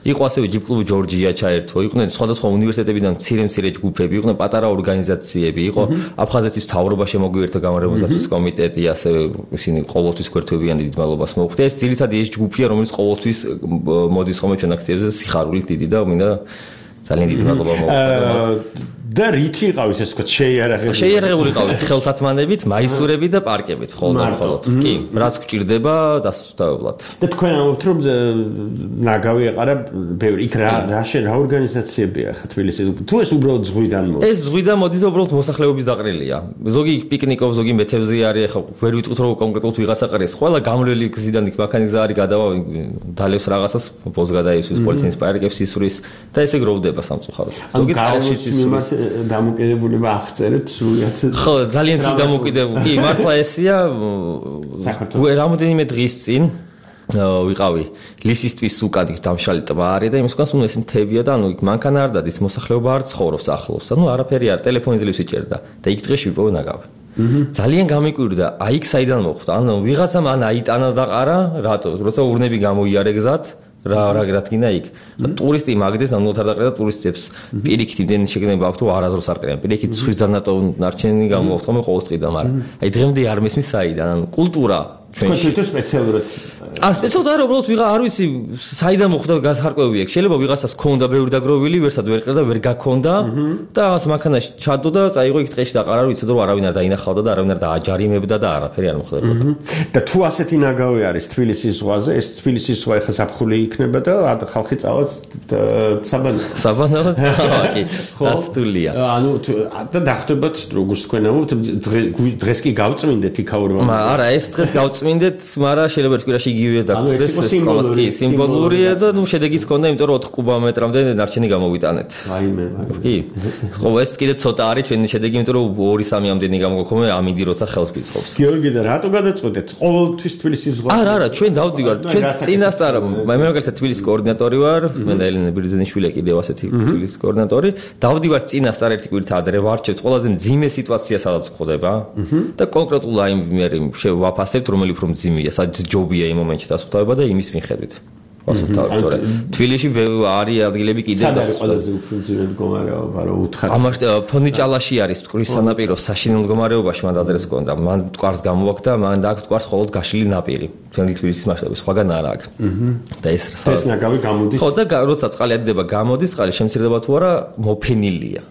Speaker 12: იყო ასევე ჯიპკლუბ ჯორჯია ჩაერთო, იყვნენ სხვადასხვა უნივერსიტეტებიდან მცირე ჯგუფები, იყვნენ პატარა ორგანიზაციები, იყო აფხაზეთის მთავრობა შემოგვიერთდა გამარჯვებასთვის კომიტეტი, ასევე ისინი ყოველთვის გვერდთვებიან დიდ მადლობას მოვხდი. ეს ძირითადად ეს ჯგუფია, რომელიც ყოველთვის მოდის ხოლმე ჩვენ აქციებზე სიხარულით დიდი და მინდა ძალიან დიდი მადლობა მოვხდი.
Speaker 4: და რითი იყავით ეს თქვა
Speaker 12: შეიარაღებული ყავით ხელთათმანებით, მაისურებით და პარკებით მხოლოდ. კი, რაც გვჭირდება დასუსტებლად.
Speaker 4: და თქვენ ამბობთ რომ ნაგავი ეყარა ბევრი იქ რა ორგანიზაციებია ხა თბილისის თუ ეს უბრალოდ ზღვიდან მოდის?
Speaker 12: ეს ზღვიდან მოდის და უბრალოდ მოსახლეობის დაყრილია. ზოგი პიკნიკობს, ზოგი მეთევზი არის, ხა ვერ ვიტყვით რომ კონკრეტულად ვიღაცა ყრის. ყველა გამრელი გზიდან იქ მანქანის გზა არის გადავა დალევს რაღაცას, ბოლოს გადაისვის პოლიციის პარკებს ისვრის და ესე გროვდება. შეიძლება სამწუხაროდ. ზოგი წყალშიც ისურვებს.
Speaker 4: დამოკიდებულება აღწერეთ სრულიად.
Speaker 12: ხო, ძალიან ცუდ დამოკიდებულება. კი, მართლა ესია. რამოდენიმე დღის წინ ვიყავი ლისისთვის უკან დამშალი ტბა არის და იმის უკან სულ ეს მთებია და ანუ იქ მანქანა არ დადის მოსახლეობა არ ცხოვრობს ახლოს. ანუ არაფერი არ ტელეფონი ძლივს იჭერდა და იქ დღეში ვიპოვე ნაგავი. ძალიან გამიკვირდა, აი იქ საიდან მოხვდა. ანუ ვიღაცამ ან აიტანა და ყარა, რატო? როცა ურნები გამოიარეგზათ რა გინდა იქ. ტურისტი მაგდეს ანუ არ დაყრდა ტურისტებს. პირიქით იმდენი შეგნება აქვს თუ არაზრს არ ყრიან. პირიქით ზღვის ზარნატო ნარჩენი გამოაქვს ხოლმე ყოველ წრიდან, მაგრამ აი დღემდე არ მესმის საიდან. ანუ კულტურა
Speaker 4: ჩვენში თუ სპეციალურად
Speaker 12: არ სპეციალურად არა, უბრალოდ ვიღა არ ვიცი საიდან მოხდა გასარკვევი აქ. შეიძლება ვიღაცას ქონდა ბევრი დაგროვილი, ვერსად ვერ ყრდა, ვერ გაქონდა და რაღაც მანქანაში ჩადო და წაიღო იქ დღეში და ყარა ვიცოდა რომ არავინ არ დაინახავდა და არავინ არ დააჯარიმებდა და არაფერი არ მოხდებოდა.
Speaker 4: და თუ ასეთი ნაგავი არის თბილისის ზღვაზე, ეს თბილისის ზღვა ახლა ზაფხული იქნება და ხალხი წავას საბანავად.
Speaker 12: კი, რასტულია.
Speaker 4: ანუ და დახვდებათ როგორც თქვენ ამბობთ, დღეს კი გავწმინდეთ იქაურმა.
Speaker 12: არა, ეს დღეს გავწმინდეთ, მაგრამ შეიძლება თქვირაში იგივე დაგხვდეს ეს ყველას კი სიმბოლურია და ნუ შედეგიც ქონდა, იმიტომ რომ 4 კუბომეტრამდე ნარჩენი გამოვიტანეთ.
Speaker 4: აიმე.
Speaker 12: კი. ხო, ეს კიდე ცოტა არის ჩვენი შედეგი, იმიტომ რომ 2-3 ამდენი გამოგქონე ამინდი როცა ხელს გიწყობს.
Speaker 4: გიორგი და რატო გადაწყვეტეთ? ყოველთვის თბილისის ზღვა.
Speaker 12: არა, ჩვენ დავდივართ. ჩვენ წინასწარ მე მაგალითად თბილისის კოორდინატორი ვარ, მე და ელენე ბირძენიშვილი კიდევ ასეთი თბილისის კოორდინატორი. დავდივართ წინასწარ ერთი კვირით ადრე ვარჩევთ ყველაზე მძიმე სიტუაცია სადაც ხდება და კონკრეტულ აი მე შევაფასებთ რომელი უფრო მძიმეა, სადაც ჯობია იმ მომენტში დასუფთავება და იმის მიხედვით. დასუფთავება. თბილისში არის ადგილები კიდევ
Speaker 4: დასუფთავება. ყველაზე უფრო მძიმე მდგომარეობა რო უთხარ.
Speaker 12: ამას ფონიჭალაში არის მტკვრის სანაპირო საშინელ მდგომარეობაში მან დაძრეს კონდა. მან მტკვარს გამოვაქ და მან დააქვს მტკვარს მხოლოდ გაშლილი ნაპირი. თბილისის მასშტაბით სხვაგან არ აქვს. და ეს
Speaker 4: ნაგავი გამოდის.
Speaker 12: ხო და როცა წყალი ადდება გამოდის, წყალი შემცირდება თუ არა მოფენილია.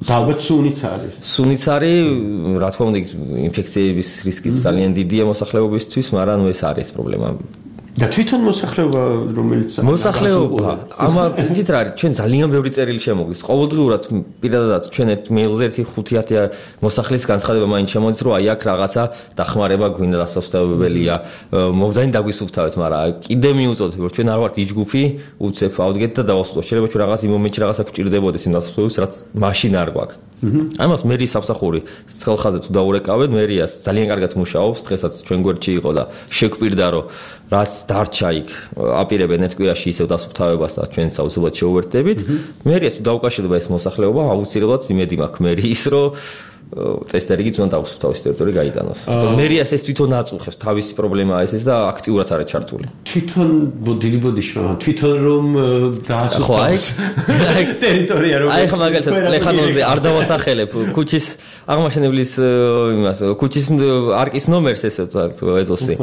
Speaker 4: ალბათ სუნიც არის.
Speaker 12: სუნიც არის, რა თქმა უნდა, ინფექციების რისკიც ძალიან დიდია მოსახლეობისთვის, მაგრამ ეს არის პრობლემა.
Speaker 4: და თვითონ მოსახლეობა რომელიც
Speaker 12: მოსახლეობა ამა იცით რა არის ჩვენ ძალიან ბევრი წერილი შემოგვდის ყოველდღიურად პირადად ჩვენ ერთ მეილზე 1-5-10 მოსახლის განცხადება მაინც შემოდის რომ აი აქ რაღაცა დახმარება გვინდა დასაფთავებელია მომძანი დაგვისუფთავეთ მაგრამ კიდე მიუწოდეთ რომ ჩვენ არ ვართ ის ჯგუფი უცებ ავდგეთ და დავასრულოთ შეიძლება ჩვენ რაღაც იმ მომენტში რაღაცა გვჭირდებოდეს იმ დასაფთავებელს რაც მაშინ არ გვაქვს ამას მერიის სამსახური ცხელხაზე თუ დაურეკავენ მერიას ძალიან კარგად მუშაობს დღესაც ჩვენ გვერდში იყო და შეგვპირდა რომ რაც დარჩა იქ აპირებენ ერთ კვირაში ისევ დასუფთავებას და ჩვენ საუბრობთ შეუერთდებით მერიას თუ დაუკავშირდება ეს მოსახლეობა აუცილებლად იმედი მაქვს მერიის რომ წესდერიგიც უნდა დაუსუფთავოს ტერიტორია გაიტანოს. მერიას ეს თვითონ აწუხებს თავისი პრობლემაა ეს და აქტიურად არის ჩართული.
Speaker 4: თვითონ დიდი ბოდიში თვითონ რომ დაასუფთავოს ტერიტორია რომ
Speaker 12: აი ხა მაგალითად პლეხანოზე არ დავასახელებ ქუჩის აღმაშენებლის იმას ქუჩის არკის ნომერს ესე ეზოსი.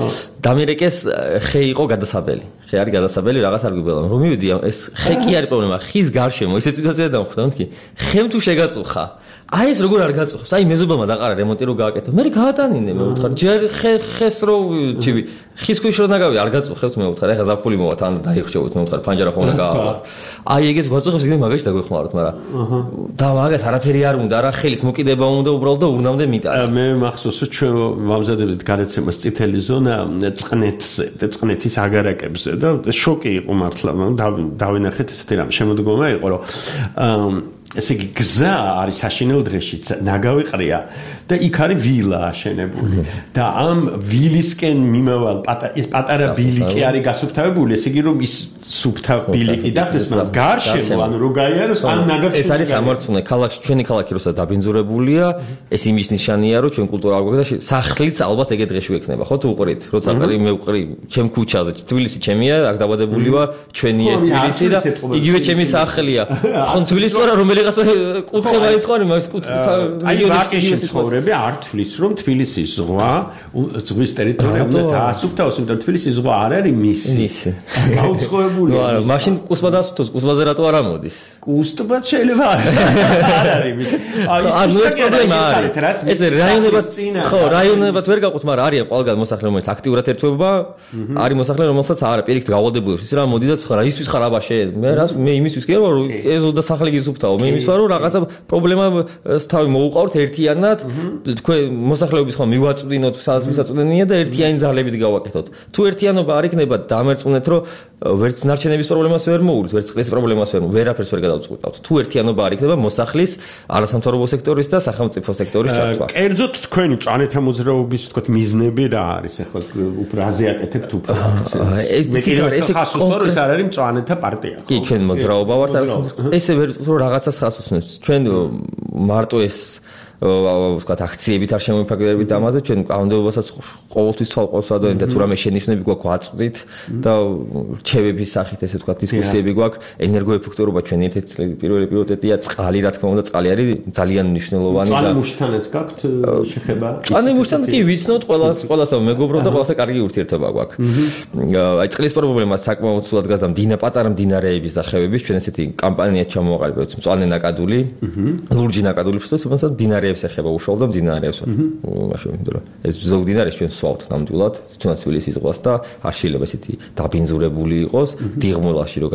Speaker 12: დამირეკეს ხე იყო გადასაბელი. ხე არის გადასაბელი რაღაც არ გვიბელა. რომ მივიდი ეს ხე კი არის პრობლემა. ხის გარშემო ისე სიტუაცია დამხვდა მეთქი. ხემ თუ შეგაწუხა აი ეს როგორ არ გაწუხებს? აი მეზობელმა დაყარა რემონტი რო გააკეთო. მე გაატანინე მე ვუთხარ. ჯერ ხეს რო ჩივი. ხის ქვეშ რო ნაგავი არ გაწუხებთ მე ვუთხარ. ეხა ზაფხული მოვა თან დაიხშევოთ მე ვუთხარ. ფანჯარა ხო უნდა გაავალოთ. აი ეგეც გვაწუხებს იგი მაგაში დაგვეხმაროთ, მაგრამ და მაგას არაფერი არ უნდა, რა ხელის მოკიდება უნდა უბრალოდ და ურნამდე მიტანა.
Speaker 4: მე მახსოვს ჩვენ ვამზადებდით გადაცემას წითელი ზონა წყნეთზე და წყნეთის აგარაკებზე და შოკი იყო მართლა. დავინახეთ ესეთი რამ შემოდგომა იყო რომ ესე იგი გზა არის საშინელ დღეშიც ნაგავი ყრია და იქ არის ვილა აშენებული და ამ ვილისკენ მიმავალ პატარა ბილიკი არის გასუფთავებული ესე იგი რომ ის სუფთა ბილიკი დახდეს მაგრამ გარშემო ანუ რო გაიაროს ამ ნაგავში
Speaker 12: ეს არის სამართლე ქალაქში ჩვენი ქალაქი როცა დაბინძურებულია ეს იმის ნიშანია რომ ჩვენ კულტურა არ გვაქვს და სახლიც ალბათ ეგეთ დღეში ვექნება ხო თუ უყრით როცა ყრი მე ვყრი ჩემ ქუჩაზე თბილისი ჩემია აქ დაბადებული ვარ ჩვენი ეს თბილისი და იგივე ჩემი სახლია ხო თბილისი ვარ რომელი კუთხე მაინც ხარ იმას კუთხე
Speaker 4: აი ვაკეში ცხოვრები არ თვლის რომ თბილისის ზღვა ზღვის ტერიტორია უნდა დაასუფთავოს იმიტომ რომ თბილისის ზღვა არ არის მისი გაუცხოებულია
Speaker 12: არა მაშინ კუსმა დაასუფთოს კუსმაზე რატო არ ამოდის
Speaker 4: კუსტბაც შეიძლება არ არის მისი აი ეს პრობლემა არის
Speaker 12: ეს რაიონებად ხო რაიონებად ვერ გაყვთ მაგრამ არიან ყველგან მოსახლე რომელიც აქტიურად ერთვება არის მოსახლე რომელსაც არა პირიქით გავალდებული ის რა მოდი და რა ისთვის ხარ აბაშე მე იმისთვის კი რომ ეზო და სახლი გიზუფთავო მე იმის ვარო რაღაცა პრობლემას თავი მოუყავთ ერთიანად თქვენ მოსახლეობის ხომ მივაწვდინოთ სადაც მისაწვდენია და ერთიანი ძალებით გავაკეთოთ თუ ერთიანობა არ იქნება დამერწმუნეთ რომ ვერც ნარჩენების პრობლემას ვერ მოუგრით ვერც წყლის პრობლემას ვერაფერს ვერ გადავწყვეტავთ თუ ერთიანობა არ იქნება მოსახლის არასამთავრობო სექტორის და სახელმწიფო სექტორის ჩართვა
Speaker 4: კერძოდ თქვენი მწვანეთა მოძრაობის თქო მიზნები რა არის ახლა უფრო აზიაკეთებთ უფრო ეს არ არის მწვანეთა პარტია
Speaker 12: კი ჩვენ მოძრაობა ვართ ესე ვერ რომ რაღაცას ხას უსმენთ ჩვენ მარტო ეს ვთქვათ აქციებით არ შემოიფარგლებით ამაზე ჩვენ კანონმდებლობასაც ყოველთვის თვალყავს ადვენ და თუ რამე შენიშვნები გვაქვს ვაწვდით და რჩევების სახით ესე ვთქვათ დისკუსიები გვაქვს ენერგოეფექტურობა ჩვენ ერთ-ერთი პირველი პრიორიტეტია წყალი რა თქმა უნდა წყალი არის ძალიან მნიშვნელოვანი და
Speaker 4: წყალი მუშთანაც გაქვთ შეხება
Speaker 12: წყალი მუშთან კი ვიცნობთ ყველასთან მეგობრობ და ყველასთან კარგი ურთიერთობა გვაქვს აი წყლის პრობლემას საკმაოდ სულად გაზამ პატარა მდინარეების და ხევების ჩვენ ესეთი კამპანია ჩამოვაყალიბეთ მწვანე ნაკადული ლურჯი ნაკადული ფსტოს მდინარე ეხება უშუალოდ მდინარეებს მაშინ იმიტომ რომ ეს ზოგ მდინარეს ჩვენ სვავთ ნამდვილად თუნდაც თბილისის ზღვას და არ შეიძლება ესეთი დაბინძურებული იყოს დიღმოლაში რო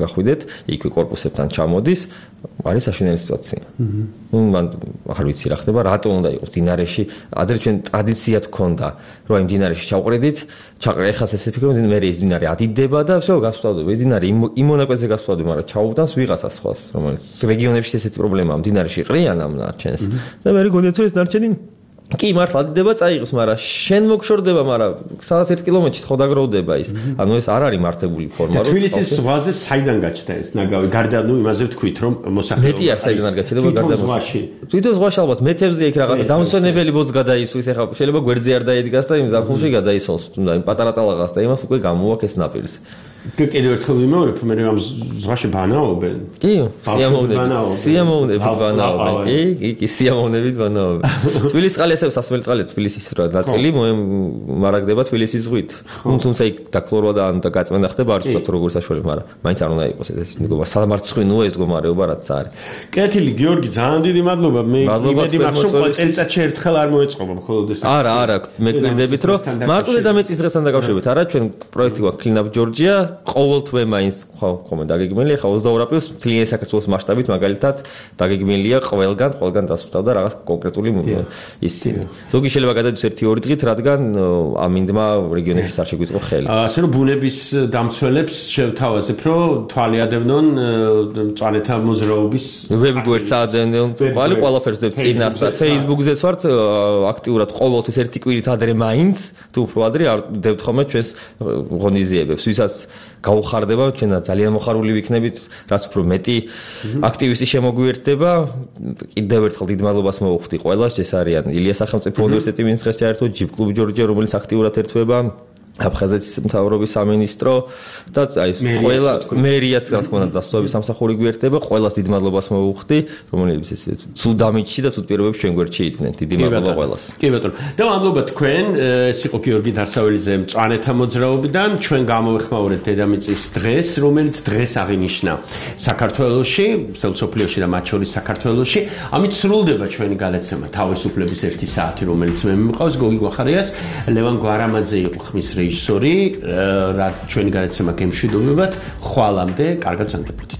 Speaker 12: გახვიდეთ იქვე კორპუსებთან ჩამოდის არის საშინელი სიტუაცია მან არ ვიცი რა ხდება რატომ უნდა იყოს მდინარეში ადრე ჩვენ ტრადიციად გქონდა რომ აი მდინარეში ჩავყრედით ეხას ესე ფიქრობ მე ის მდინარე ადიდება და всё გასვავდება ეს მდინარე იმ მონაკვეთზე გასვავდება მაგრამ ჩაუვდანს ვიღაცას სხვას რომელიც რეგიონებში ესეთი პრობლემაა მდინარეში ყრიან ამ ნარჩენს და მე გონიათ რომ ეს ნარჩენი კი მართლა ადიდება წაიღოს მაგრამ შენ მოგშორდება მაგრამ სადაც 1 კილომეტრში ხო დაგროვდება ის ანუ ეს არ არის მართებული ფორმა
Speaker 4: რომ თბილისის ზღვაზე საიდან გაჩნდა ეს ნაგავი გარდა ნუ იმაზე ვთქვით რომ მოსახლეობა
Speaker 12: მეტი არ საიდან არ გაჩნდება გარდა ზღვაში თვითონ ზღვაში ალბათ მეთებზე იქ რაღაცა დამსვენებელი ბოძ გადაისვის ეხლა შეიძლება გვერდზე არ დაიდგას და იმ ზაფხულში გადაისვას თუნდა იმ პატარა ტალაღას და იმას უკვე გამოაქვს ნაპირს
Speaker 4: კიდევ ერთხელ ვიმეორებ მე ამ ზღვაში ბანაობენ
Speaker 12: კი სიამოვნებით ბანაობენ კი სიამოვნებით ბანაობენ თბილისის წყალი ასევე სასმელი წყალია თბილისის რა ნაწილი მარაგდება თბილისის ზღვით თუმცა იქ დაქლორვა და გაწმენდა ხდება არ ვიცით როგორ საშუალება მაგრამ მაინც არ უნდა იყოს ეს მეგობრა სამარცხვინოა ეს მდგომარეობა რაც არის
Speaker 4: კეთილი გიორგი ძალიან დიდი მადლობა მე იმედი მაქვს რომ წელიწადში ერთხელ არ მოეწყობა მხოლოდ ეს
Speaker 12: არა მე გვერდებით რომ მარტო დედამიწის დღესთან დაკავშირებით არა ჩვენ პროექტი გვაქვს Clean Up Georgia ყოველთვე მაინც ხომ დაგეგმილია ხა 22 აპრილს მთლიანი საქართველოს მასშტაბით მაგალითად დაგეგმილია ყველგან დასვლა რაღაც კონკრეტული ისი ზოგი შეიძლება გადადის 1-2 დღით რადგან ამინდმა რეგიონებში არ შეგვიწყო ხელი
Speaker 4: ასე რომ ბუნების დამცველებს შევთავაზებ რომ თვალიადევნონ მწვანეთა მოძრაობის
Speaker 12: ვებგვერდს ადევნონ თვალი ყველაფერს წინასწარ Facebook-ზეც ვართ აქტიურად ყოველთვის ერთი კვირით ადრე მაინც თუ უფრო ადრე არ ვდებთ ხოლმე ჩვენს ღონისძიებებს ვისაც გაუხარდება ჩვენ ძალიან მოხარული ვიქნებით რაც უფრო მეტი აქტივისტი შემოგვიერთდება კიდევ ერთხელ დიდ მადლობას მოვუხდი ყველას ეს არიან ილია სახელმწიფო უნივერსიტეტი ვინც დღეს ჩაერთო ჯიბ კლუბ ჯორჯია რომელიც აქტიურად ერთვება აფხაზეთის მთავრობის სამინისტრო და აი ეს ყველა მერიაც რა თქმა უნდა დასწრების სამსახური გვიერთდება ყველას დიდ მადლობას მოვუხდი რომელიც ეს სუდამიჩი და სუდპირობებს ჩვენ გვერდში იდგნენ დიდი მადლობა ყველას
Speaker 4: კი ბატონო და მადლობა თქვენ ეს იყო გიორგი დარსაველიძე მწვანეთა მოძრაობიდან ჩვენ გამოვეხმაურეთ დედამიწის დღეს რომელიც დღეს აღინიშნა საქართველოში სოფლიოში და მათ შორის საქართველოში ამით სრულდება ჩვენი გადაცემა თავისუფლების 1 საათი რომელიც მე მიმყავს გოგი გვახარიას ლევან გვარამაძე იყო ხმის რეჟისორი რა ჩვენი გადაცემა გემშვიდობებად ხვალამდე კარგად ზანდებოდით